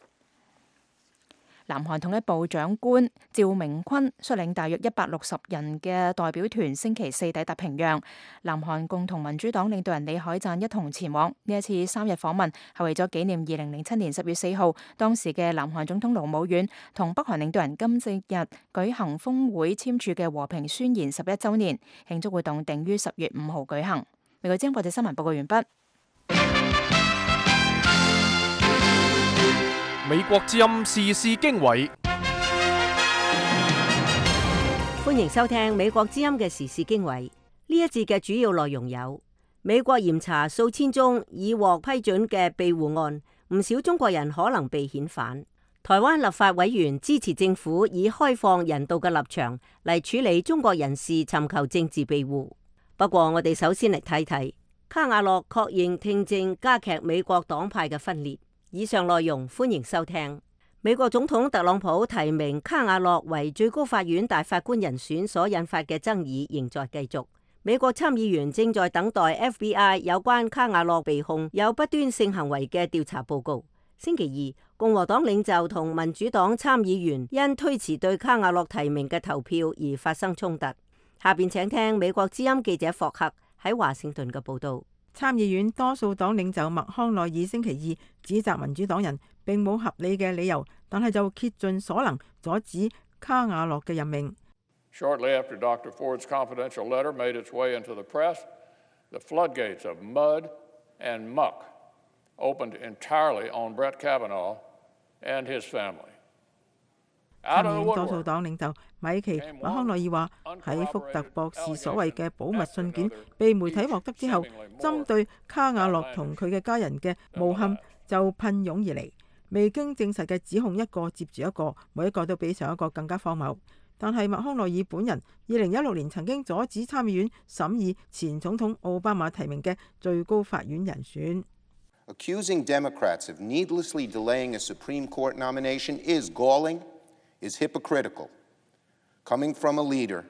南韓統一部長官趙明坤率領大約160人嘅代表團星期四抵達平壤，南韓共同民主黨領導人李海贊一同前往。呢一次3日訪問係為咗紀念2007年10月4號當時嘅南韓總統盧武鉉同北韓領導人金正日舉行峰會簽署嘅和平宣言11週年，慶祝活動定於10月5號舉行。美國之音國際新聞報告完畢。美國之音時事經緯，歡迎收聽美國之音嘅時事經緯。呢一節嘅主要內容有：美國嚴查數千宗已獲批准嘅庇護案，唔少中國人可能被遣返；台灣立法委員支持政府以開放人道嘅立場嚟處理中國人士尋求政治庇護。不過我哋首先嚟睇睇卡瓦諾確認聽證加劇美國黨派嘅分裂。以上內容歡迎收聽。美國總統特朗普提名卡瓦諾為最高法院大法官人選所引發嘅爭議仍在繼續。美國參議員正在等待 FBI 有關卡瓦諾被控有不端性行為嘅調查報告。星期二，共和黨領袖同民主黨參議員因推遲對卡瓦諾提名嘅投票而發生衝突。下邊請聽美國之音記者霍克喺華盛頓嘅報道。參議院多數黨領袖麥康奈爾星期二指責民主黨人並冇合理嘅理由，但係就竭盡所能阻止卡瓦諾嘅任命。Shortly after Dr. Ford's confidential letter made its way into the press, the floodgates of mud and muck opened entirely on Brett Kavanaugh and his family. 參議院多數黨領袖米奇麥康奈爾話：喺福特博士所謂嘅保密信件被媒體獲得之後，針對卡瓦諾同佢嘅家人嘅誣陷就噴湧而嚟，未經證實嘅指控一個接住一個，每一個都比上一個更加荒謬。但係麥康奈爾本人2016年曾經阻止參議院審議前總統奧巴馬提名嘅最高法院人選。Accusing Democrats of needlessly delaying a Supreme Court nomination is galling.is hypocritical, coming from a leader.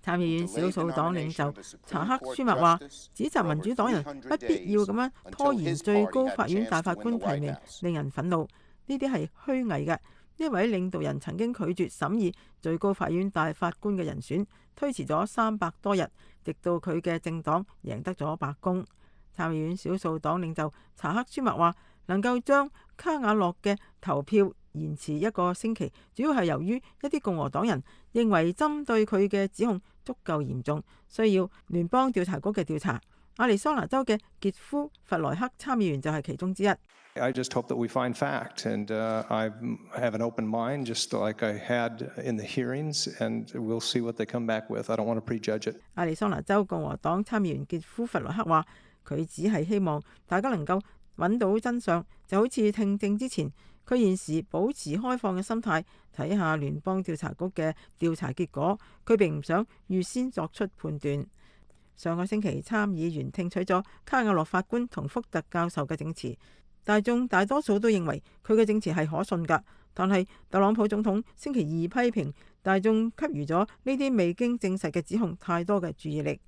參議院少數黨領袖查克舒默話，指責民主黨人不必要咁樣拖延最高法院大法官提名，令人憤怒。呢啲係虛偽嘅。呢位領導人曾經拒絕審議最高法院大法官嘅人選，推遲咗300多日，直到佢嘅政黨贏得咗白宮。參議院少數黨領袖查克舒默話，能夠將卡瓦諾嘅投票延遲1個星期，主要係由於一啲共和黨人認為針對佢嘅指控足夠嚴重，需要聯邦調查局嘅調查。亞利桑那州嘅傑夫弗萊克參議員就係其中之一。I just hope that we find fact, and I have an open mind, just like I had in the hearings, and we'll see what they come back with. I don't want to prejudge it. 亞利桑那州共和黨參議員傑夫弗萊克話：佢只係希望大家能夠揾到真相，就好似聽證之前，佢現時保持開放嘅心態，睇下聯邦調查局嘅調查結果。佢並唔想預先作出判斷。上個星期參議員聽取咗卡瓦諾法官同福特教授嘅證詞，大眾大多數都認為佢嘅證詞係可信㗎。但係特朗普總統星期二批評大眾給予咗呢啲未經證實嘅指控太多嘅注意力。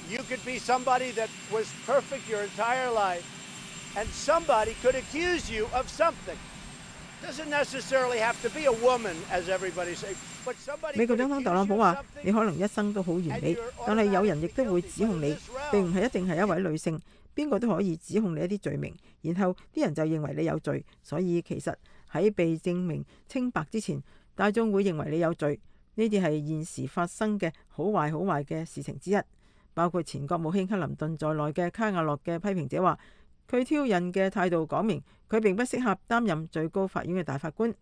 You could be somebody that was perfect your entire life, and somebody could accuse you of something. Doesn't necessarily have to be a woman, as everybody says. But somebody. 美國總統特朗普話：你可能一生都好完美，但係有人亦都會指控你，並唔係一定係一位女性，邊個都可以指控你一啲罪名，然後啲人就認為你有罪。所以其實喺被證明清白之前，大眾會認為你有罪。呢啲係現時發生嘅好壞嘅事情之一。包括前國務卿克林頓在內嘅卡瓦諾嘅批評者話，佢挑釁嘅態度講明佢並不適合擔任最高法院嘅大法官。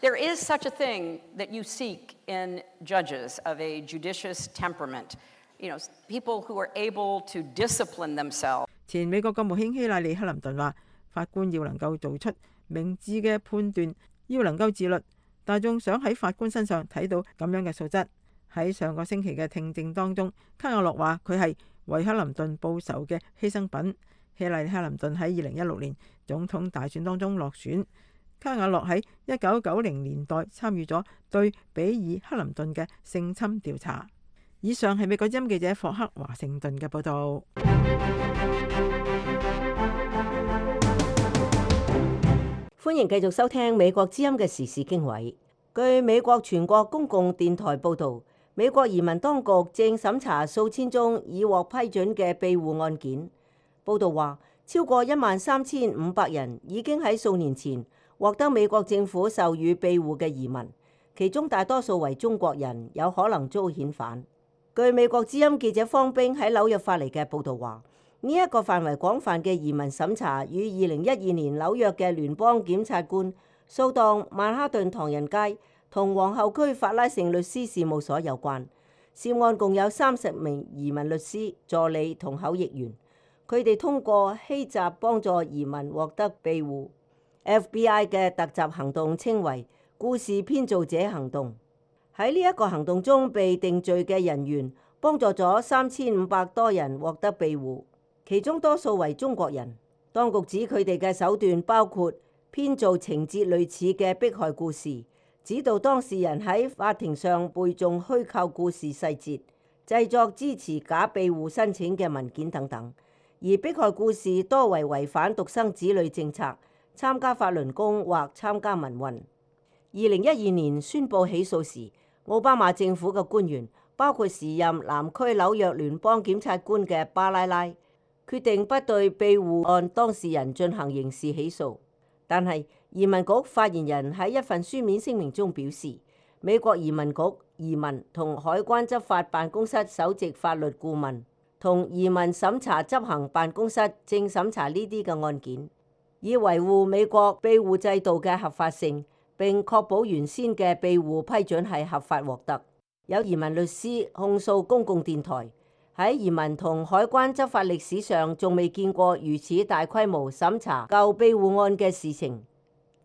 There is such a thing that you seek in judges of a judicious temperament, people who are able to discipline themselves. 前美國國務卿希拉里克林頓話，法官要能夠做出明智嘅判斷，要能夠自律。大眾想喺法官身上睇到咁樣嘅素質。喺上個星期嘅聽證當中，卡瓦諾話佢係為克林頓報仇嘅犧牲品。希拉里克林頓喺2016年總統大選當中落選。卡瓦諾喺1990年代參與咗對比爾克林頓嘅性侵調查。以上係美國之音記者霍克華盛頓嘅報導。歡迎繼續收聽美國之音嘅時事經緯。據美國全國公共電台報導，美國移民當局正審查數千宗已獲批准嘅庇護案件。報導話，超過13,500人已經喺數年前獲得美國政府授予庇護嘅移民，其中大多數為中國人，有可能遭遣返。據美國之音記者方冰喺紐約發嚟嘅報導話，呢一個範圍廣泛嘅移民審查與2012年紐約嘅聯邦檢察官掃蕩曼哈頓唐人街同皇后區法拉盛律師事務所有關。涉案共有30名移民律師、助理同口譯員，佢哋通過欺詐幫助移民獲得庇護。FBI 嘅突襲行動稱為故事編造者行動。喺呢一個行動中被定罪嘅人員幫助咗3500多人獲得庇護。其中多數為中國人。當局指佢哋嘅手段包括編造情節類似嘅迫害故事，指導當事人喺法庭上背誦虛構故事細節，製作支持假庇護申請嘅文件等等。而迫害故事多為違反獨生子女政策、參加法輪功或參加民運。2012年宣布起訴時，奧巴馬政府嘅官員包括時任南區紐約聯邦檢察官嘅巴拉拉，決定不對庇護案當事人進行刑事起訴，但係移民局發言人喺一份書面聲明中表示，美國移民局移民同海關執法辦公室首席法律顧問同移民審查執行辦公室正審查呢啲嘅案件，以維護美國庇護制度嘅合法性，並確保原先嘅庇護批准係合法獲得。有移民律師控訴公共電台喺移民同海關執法歷史上，仲未見過如此大規模審查舊庇護案嘅事情。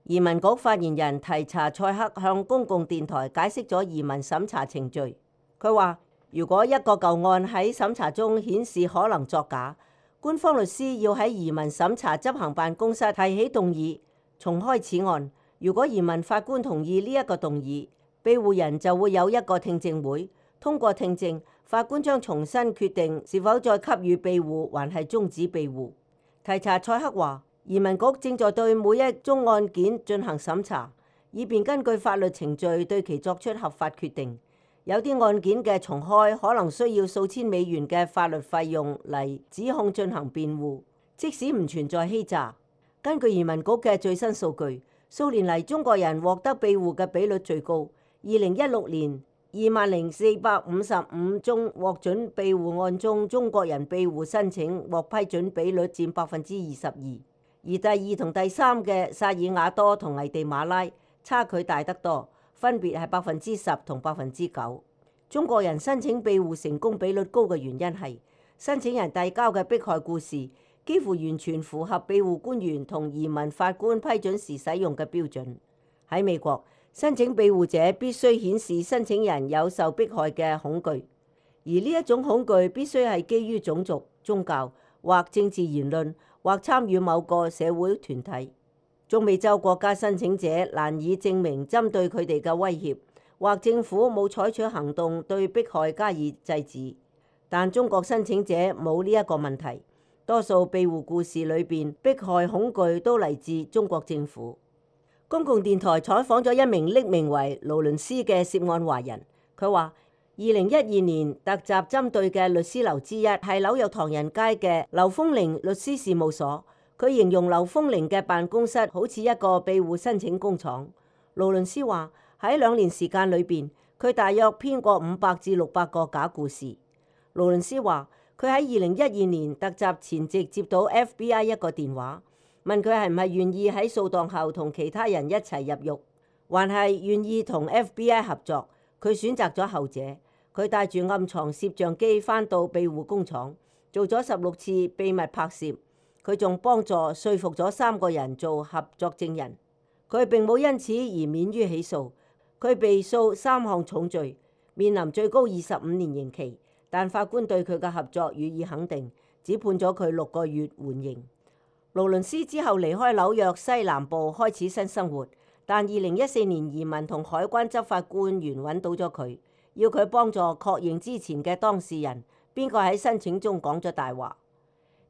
移民局發言人提查塞克向公共電台解釋咗移民審查程序。佢話：如果一個舊案喺審查中顯示可能作假，官方律師要喺移民審查執行辦公室提起動議，重開此案。如果移民法官同意呢一個動議，庇護人就會有一個聽證會，通過聽證，法官將重新決定是否再給予庇護，還係終止庇護。提查塞克話，移民局正在對每一宗案件進行審查，以便根據法律程序對其作出合法決定。有啲案件嘅重開可能需要數千美元嘅法律費用嚟指控進行辯護，即使唔存在欺詐。根據移民局嘅最新數據，數年嚟中國人獲得庇護嘅比率最高。2016年20,455宗獲准庇護案中，中國人庇護申請獲批准比率佔22%，而第二同第三嘅薩爾瓦多同危地馬拉差距大得多，分別係10%同9%。中國人申請庇護成功比率高嘅原因係申請人遞交嘅迫害故事幾乎完全符合庇護官員同移民法官批准時使用嘅標準。喺美國，申請庇護者必須顯示申請人有受迫害嘅恐懼，而呢一種恐懼必須係基於種族、宗教或政治言論，或參與某個社會團體。中美洲國家申請者難以證明針對佢哋嘅威脅，或政府冇採取行動對迫害加以制止。但中國申請者冇呢一個問題，多數庇護故事裏邊迫害恐懼都嚟自中國政府。公共電台採訪咗一名匿名為勞倫斯嘅涉案華人，佢話：2012年突襲針對嘅律師樓之一係紐約唐人街嘅劉豐齡律師事務所。佢形容劉豐齡嘅辦公室好似一個庇護申請工廠。勞倫斯話喺2年時間裏邊，佢大約編過500至600個假故事。勞倫斯話佢喺2012年突襲前夕接到 FBI 一個電話，問佢係唔係願意喺掃蕩後同其他人一齊入獄，還係願意同 FBI 合作。佢選擇咗後者。佢帶住暗藏攝像機返到庇護工廠，做咗16次秘密拍攝。佢仲幫助說服咗3個人做合作證人。佢並冇因此而免於起訴。佢被訴3項重罪，面臨最高25年刑期，但法官對佢嘅合作予以肯定，只判咗佢6個月緩刑。勞倫斯之後離開紐約西南部開始新生活，但2014年移民同海關執法官員揾到咗佢，要佢幫助確認之前嘅當事人邊個喺申請中講咗大話。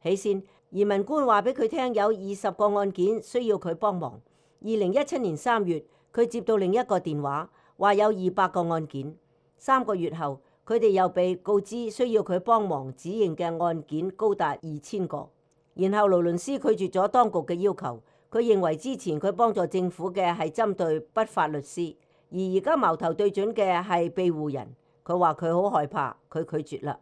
起先，移民官話俾佢聽有20個案件需要佢幫忙， 2017年3月，佢接到另一個電話，話有200個案件。3個月後，佢哋又被告知需要佢幫忙指認嘅案件高達2000個。然後勞倫斯拒絕咗當局嘅要求，佢認為之前佢幫助政府嘅係針對不法律師，而家矛頭對準嘅係庇護人。佢話佢好害怕，佢拒絕啦。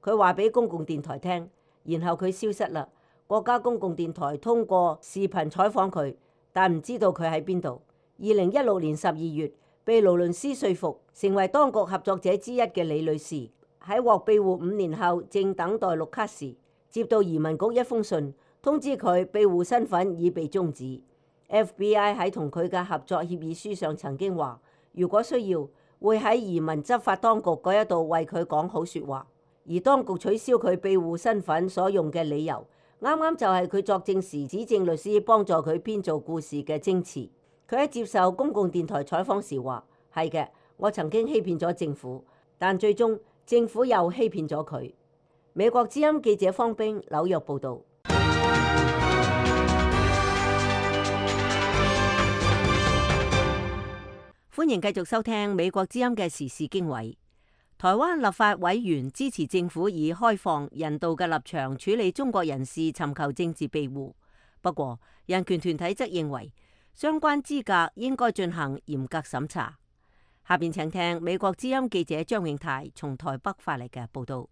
佢話俾公共電台聽，然後佢消失啦。國家公共電台通過視頻採訪佢，但唔知道佢喺邊度。2016年12月，被勞倫斯說服成為當局合作者之一嘅李女士，喺獲庇護5年後，正等待綠卡時，接到移民局一封信，通知佢庇護身份已被終止。FBI 喺同佢嘅合作協議書上曾經話，如果需要，會喺移民執法當局嗰一度為佢講好説話。而當局取消佢庇護身份所用嘅理由，啱啱就係佢作證時指證律師幫助佢編造故事嘅證詞。佢喺接受公共電台採訪時話：係嘅，我曾經欺騙咗政府，但最終政府又欺騙咗佢。美國之音記者方冰紐約報導。歡迎繼續收聽美國之音嘅時事經緯。台灣立法委員支持政府以開放人道嘅立場處理中國人士尋求政治庇護，不過人權團體則認為相關資格應該進行嚴格審查。下邊請聽美國之音記者張永泰從台北發嚟嘅報道。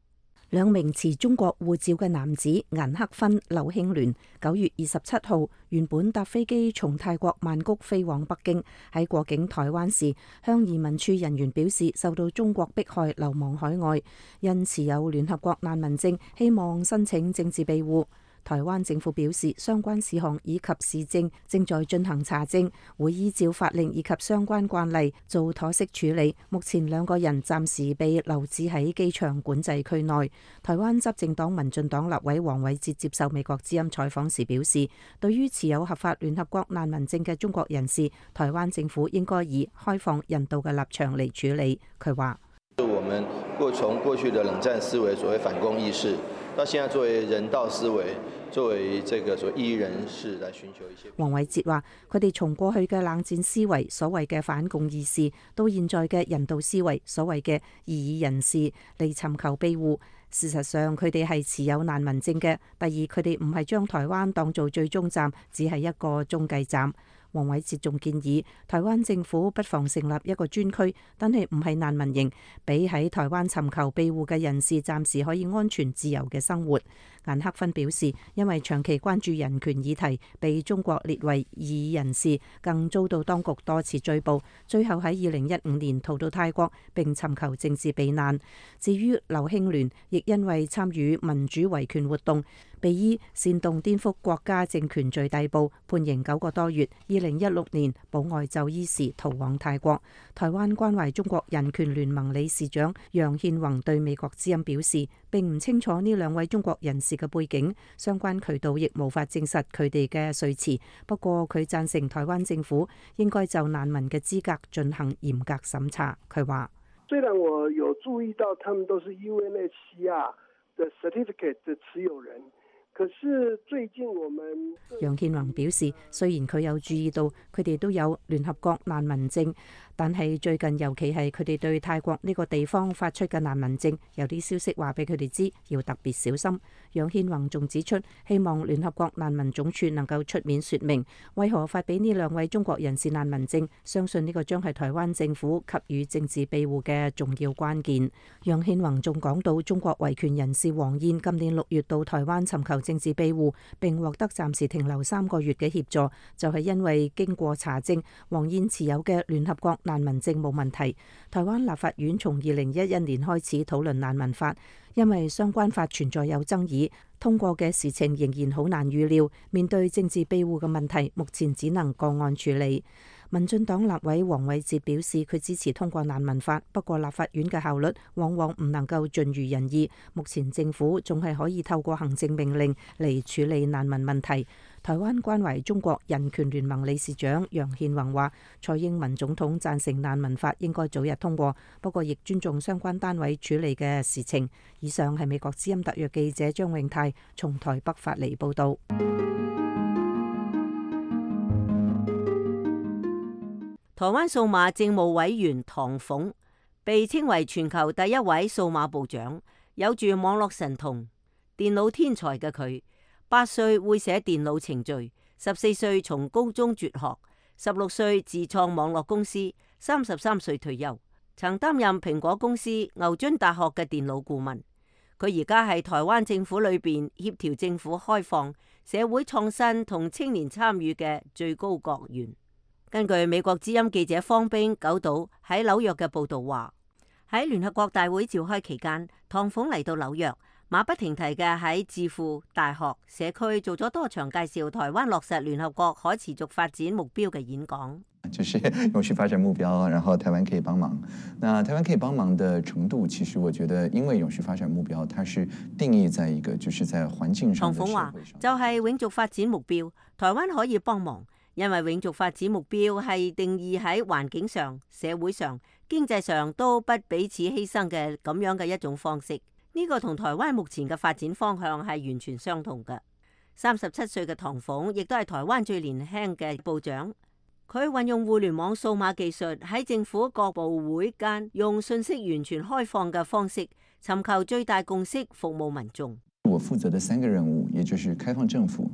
兩名持中國護照嘅男子顏克勳、劉慶聯9月27號原本搭飛機從泰國曼谷飛往北京，喺過境台灣時向移民處人員表示受到中國迫害，流亡海外，因持有聯合國難民證，希望申請政治庇護。台灣政府表示，相關事項以及事證正在進行查證，會依照法令以及相關慣例做妥適處理。目前兩個人暫時被留置喺機場管制區內。台灣執政黨民進黨立委黃偉哲接受美國之音採訪時表示，對於持有合法聯合國難民證嘅中國人士，台灣政府應該以開放人道嘅立場嚟處理。佢話：我們從過去的冷戰思維，所謂反共意識，到現在作為人道思維，作為這個所謂異議人士來尋求一些。黃偉哲話：佢哋從過去嘅冷戰思維，所謂嘅反共意識，到現在嘅人道思維，所謂嘅異議人士嚟尋求庇護。事實上，佢哋係持有難民證嘅。第二，佢哋唔係將台灣當做最終站，只係一個中繼站。黃偉哲仲建議台灣政府不妨成立一個專區，但係唔係難民營，俾喺台灣尋求庇護嘅人士暫時可以安全自由嘅生活。顏克勳表示，因為長期關注人權議題，被中國列為異議人士，更遭到當局多次追捕，最後喺2015年逃到泰國並尋求政治避難。至於劉慶聯，亦因為參與民主維權活動，被依煽動顛覆國家政權罪逮捕，判刑9個多月。2016年保外就醫時逃往泰國。台灣關懷中國人權聯盟理事長楊憲宏對美國之音表示，並唔清楚呢兩位中國人士嘅背景，相關渠道亦無法證實佢哋嘅說辭。不過佢贊成台灣政府應該就難民嘅資格進行嚴格審查。佢話：雖然我有注意到他們都是 UNHCR 的 certificate 的持有人。可是最近我們楊憲宏表示，雖然佢有注意到佢哋都有聯合國難民證，但係最近尤其係佢哋對泰國呢個地方發出嘅難民證，有啲消息話俾佢哋知要特別小心。楊憲宏仲指出，希望聯合國難民總署能夠出面說明為何發俾呢兩位中國人士難民證，相信呢個將係台灣政府給予政治庇護嘅重要關鍵。楊憲宏仲講到，中國維權人士黃燕今年6月到台灣尋求政治庇護，並獲得暫時停留3個月嘅協助，就係因為經過查證，黃燕持有嘅聯合國難民證冇問題。台灣立法院從2011年開始討論難民法，因為相關法存在有爭議，通過嘅事情仍然好難預料。面對政治庇護嘅問題，目前只能個案處理。民進黨立委黃偉哲表示，佢支持通過難民法，不過立法院嘅效率往往唔能夠盡如人意。目前政府仲係可以透過行政命令嚟處理難民問題。台灣關懷中國人權聯盟理事長楊憲宏話，蔡英文總統贊成難民法應該早日通過，不過亦尊重相關單位處理嘅事情。以上係美國之音特約記者張永泰從台北發嚟報道。台灣數碼政務委員唐鳳被稱為全球第一位數碼部長，有住網絡神童、電腦天才嘅佢，8歲會寫電腦程序，14歲從高中輟學，16歲自創網絡公司，33歲退休，曾擔任蘋果公司、牛津大學嘅電腦顧問。佢而家係台灣政府裏邊協調政府開放、社會創新同青年參與嘅最高國員。根據美國之音記者方冰九島喺紐約嘅報導話，喺聯合國大會召開期間，唐鳳嚟到紐約，馬不停蹄嘅喺智庫、大學、社區做咗多場介紹台灣落實聯合國可持續發展目標嘅演講。就是永續發展目標，然後台灣可以幫忙。那台灣可以幫忙的程度，其實我覺得，因為永續發展目標，它是定義在一個就是在環境上。唐鳳話就係永續發展目標，台灣可以幫忙。因為永續發展目標係定義喺環境上、社會上、經濟上都不彼此犧牲嘅咁樣嘅一種方式。呢個同台灣目前嘅發展方向係完全相同嘅。37歲嘅唐鳳亦都係台灣最年輕嘅部長。佢運用互聯網數碼技術喺政府各部會間用信息完全開放嘅方式，尋求最大共識，服務民眾。我負責的3個任務，也就是開放政府。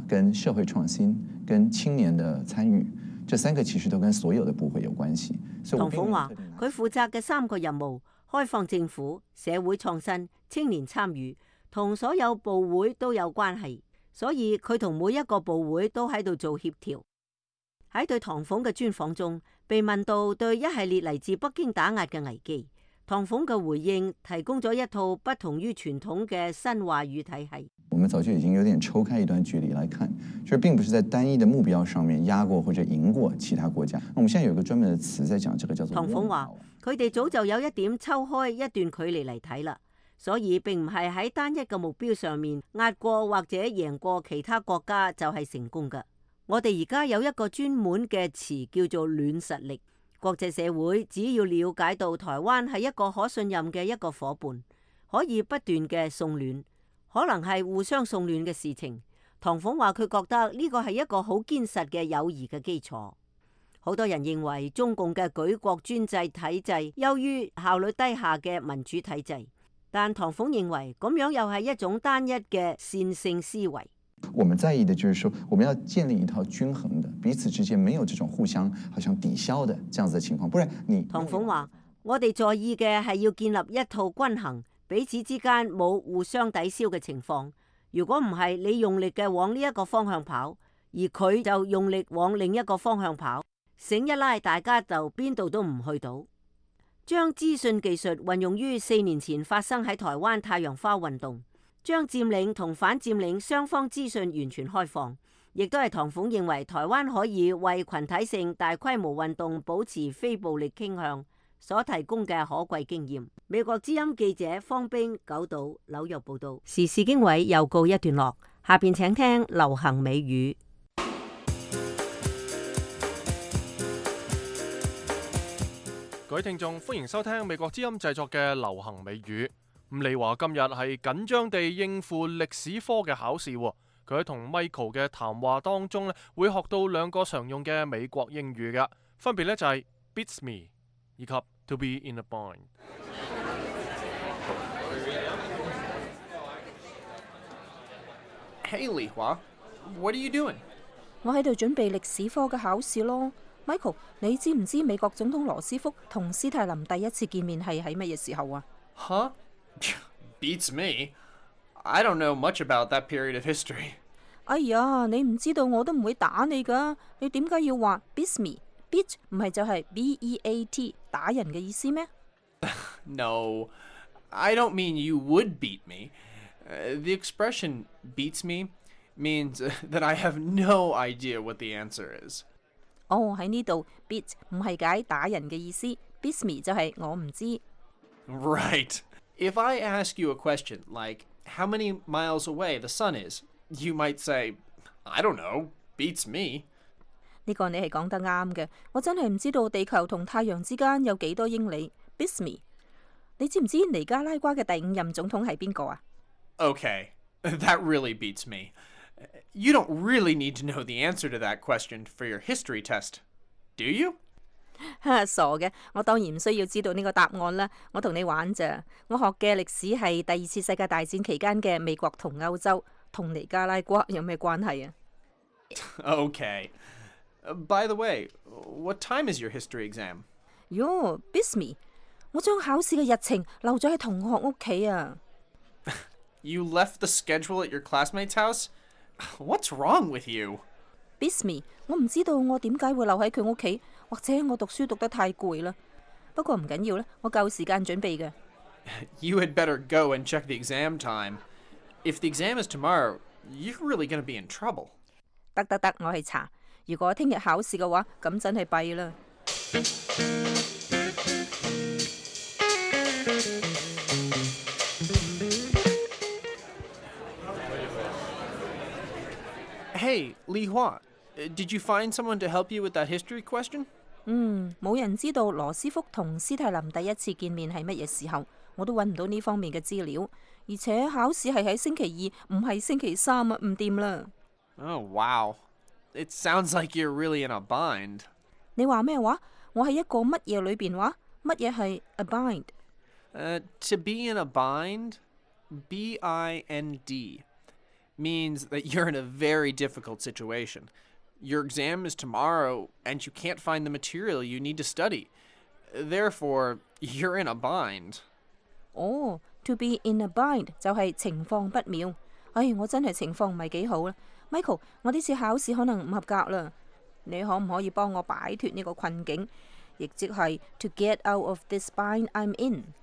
跟社會創新、跟青年的參與，這3個其實都跟所有的部會有關係。唐鳳話：佢負責嘅3個任務，開放政府、社會創新、青年參與，同所有部會都有關係，所以佢同每一個部會都喺度做協調。喺對唐鳳嘅專訪中，被問到對一系列嚟自北京打壓嘅危機，唐鳳嘅回應提供咗一套不同於傳統嘅新話語體系。我們早就已經有點抽開一段距離來看，就是並不是在單一的目標上面壓過或者贏過其他國家。我們現在有一個專門的詞在講，這個叫做。唐鳳話：佢哋早就有一點抽開一段距離嚟睇啦，所以並唔係喺單一嘅目標上面壓過或者贏過其他國家就係成功嘅。我哋而家有一個專門嘅詞叫做軟實力。國際社會只要了解到台灣係一個可信任嘅一個夥伴，可以不斷嘅送暖。可能係互相送暖嘅事情。唐鳳話佢覺得呢個係一個好堅實嘅友誼嘅基礎。好多人認為中共嘅舉國專制體制優於效率低下嘅民主體制，但唐鳳認為咁樣又係一種單一嘅線性思維。我們在意的就是說，我們要建立一套均衡的，彼此之間沒有這種互相好像抵消的這樣子的情況，不然你。唐鳳話：我哋在意嘅係要建立一套均衡。彼此之間冇互相抵消嘅情況。如果唔係，你用力嘅往呢一個方向跑，而佢就用力往另一個方向跑，繩一拉，大家就邊度都唔去到。將資訊技術運用於4年前發生喺台灣太陽花運動，將佔領同反佔領雙方資訊完全開放，亦都係唐鳳認為台灣可以為群體性大規模運動保持非暴力傾向所提供嘅可貴經驗。美國之音記者方冰九島紐約報道。時事經緯又告一段落，下邊請聽流行美語。各位聽眾，歡迎收聽美國之音製作嘅流行美語。咁你話今日係緊張地應付歷史科嘅考試，佢喺同 Michael 嘅談話當中咧，會學到2個常用嘅美國英語嘅，分別咧就係 beats me 以及 to be in a bind。Hey, Lihua, what are you doing? 我喺度準備歷史科嘅考試咯。Michael， 你知唔知美國總統羅斯福同斯泰林第一次見面係喺乜嘢時候啊？ Huh? Beats me. I don't know much about that period of history. 哎呀，你唔知道我都唔會打你噶。你點解要話 beats me？beat 唔係就係 B-E-A-T 打人嘅意思咩？ No, I don't mean you would beat me. The expression beats me means that I have no idea what the answer is. 哦，喺呢度 beat 唔係解打人嘅意思 ，beats me 就係我唔知。Right. If I ask you a question like how many miles away the sun is, you might say, I don't know, beats me. 呢個你係講得啱嘅，我真係唔知道地球同太陽之間有幾多英里 ，beats me。你知唔知尼加拉瓜嘅第5任總統係邊個啊？ Okay, that really beats me. You don't really need to know the answer to that question for your history test, do you? 傻嘅，我當然唔需要知道呢個答案啦。我同你玩咋？我學嘅歷史係第二次世界大戰期間嘅美國同歐洲，同尼加拉瓜有咩關係啊？ Okay. By the way, what time is your history exam? 喲 Bisme， 我將考試嘅日程留咗喺同學屋企啊。You left the schedule at your classmate's house? What's wrong with you? Bisme， 我唔知道我點解會留喺佢屋企，或者我讀書讀得太攰啦。不過唔緊要啦，我夠時間準備嘅。You had better go and check the exam time. If the exam is tomorrow, you're really going to be in trouble. 得，我去查。如果聽日考試嘅話，咁真係弊啦。Hey, Li Hua, did you find someone to help you with that history question? 冇人知道羅斯福同斯泰林第一次見面係乜嘢時候，我都揾唔到呢方面嘅資料。而且考試係喺星期二，唔係星期三啊，唔掂啦。Oh, wow. It sounds like you're really in a bind. 你話咩話？我喺一個乜嘢裏邊話？乜嘢係 a bind？ To be in a bind, B-I-N-D, means that you're in a very difficult situation. Your exam is tomorrow, and you can't find the material you need to study. Therefore, you're in a bind. Oh, to be in a bind 就係情況不妙。我真係情況唔係幾好啦。Michael， 我呢次考試可能唔合格啦。你可唔可以幫我擺脫呢個困境？亦即係 to get out of this bind I'm in.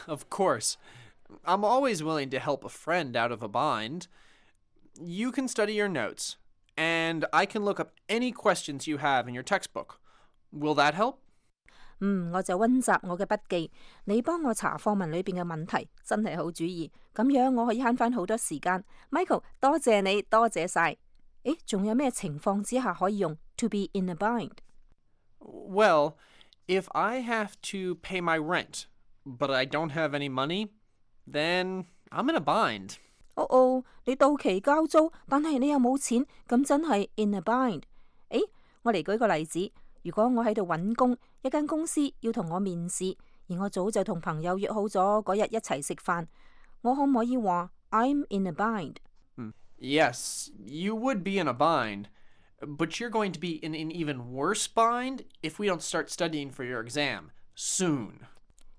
Of course. I'm always willing to help a friend out of a bind. You can study your notes, and I can look up any questions you have in your textbook. Will that help? 我就溫習我嘅筆記，你幫我查課文裏邊嘅問題，真係好主意。咁樣我可以慳翻好多時間。Michael， 多謝你，多謝晒。仲有咩情況之下可以用 to be in a bind？ Well, if I have to pay my rent, but I don't have any money, then I'm in a bind. 你到期交租，但係你又冇錢，咁真係 in a bind。我嚟舉個例子，如果我喺度揾工，一間公司要同我面試，而我早就同朋友約好咗嗰日一齊食飯，我可唔可以話 I'm in a bind？ Yes, you would be in a bind, but you're going to be in an even worse bind if we don't start studying for your exam soon.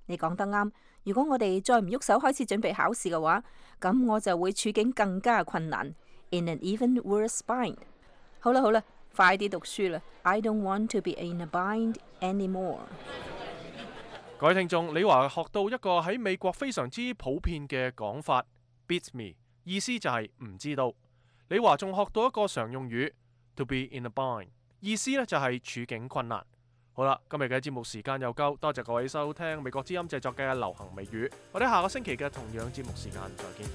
你講得啱，如果我哋再唔喐手開始準備考試嘅話，咁我就會處境更加困難 ，in an even worse bind。好啦，快啲讀書啦 ！I don't want to be in a bind anymore。各位聽眾，你話學到一個喺美國非常之普遍嘅講法 ，beats me， 意思就係唔知道。你話仲學到一個常用語 ，to be in a bind， 意思呢就係處境困難。好啦，今日嘅節目時間又夠，多謝各位收聽美國之音製作嘅流行美語。我哋下個星期嘅同樣節目時間再見。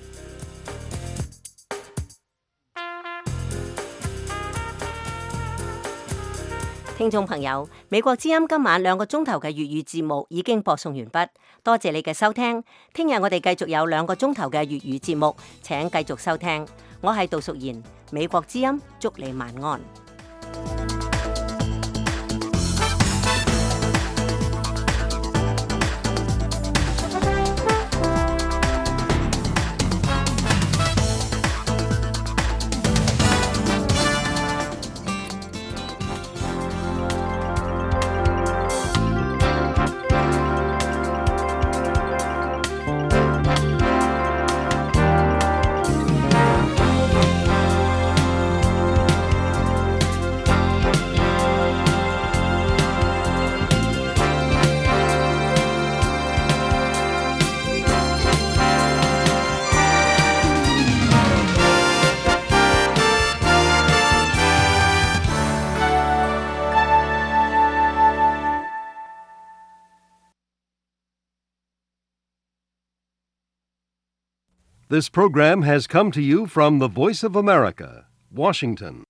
聽眾朋友，美國之音今晚2個鐘頭嘅粵語節目已經播送完畢，多謝你嘅收聽。聽日我哋繼續有2個鐘頭嘅粵語節目，請繼續收聽。我係杜淑賢，美國之音，祝你晚安。This program has come to you from the Voice of America, Washington.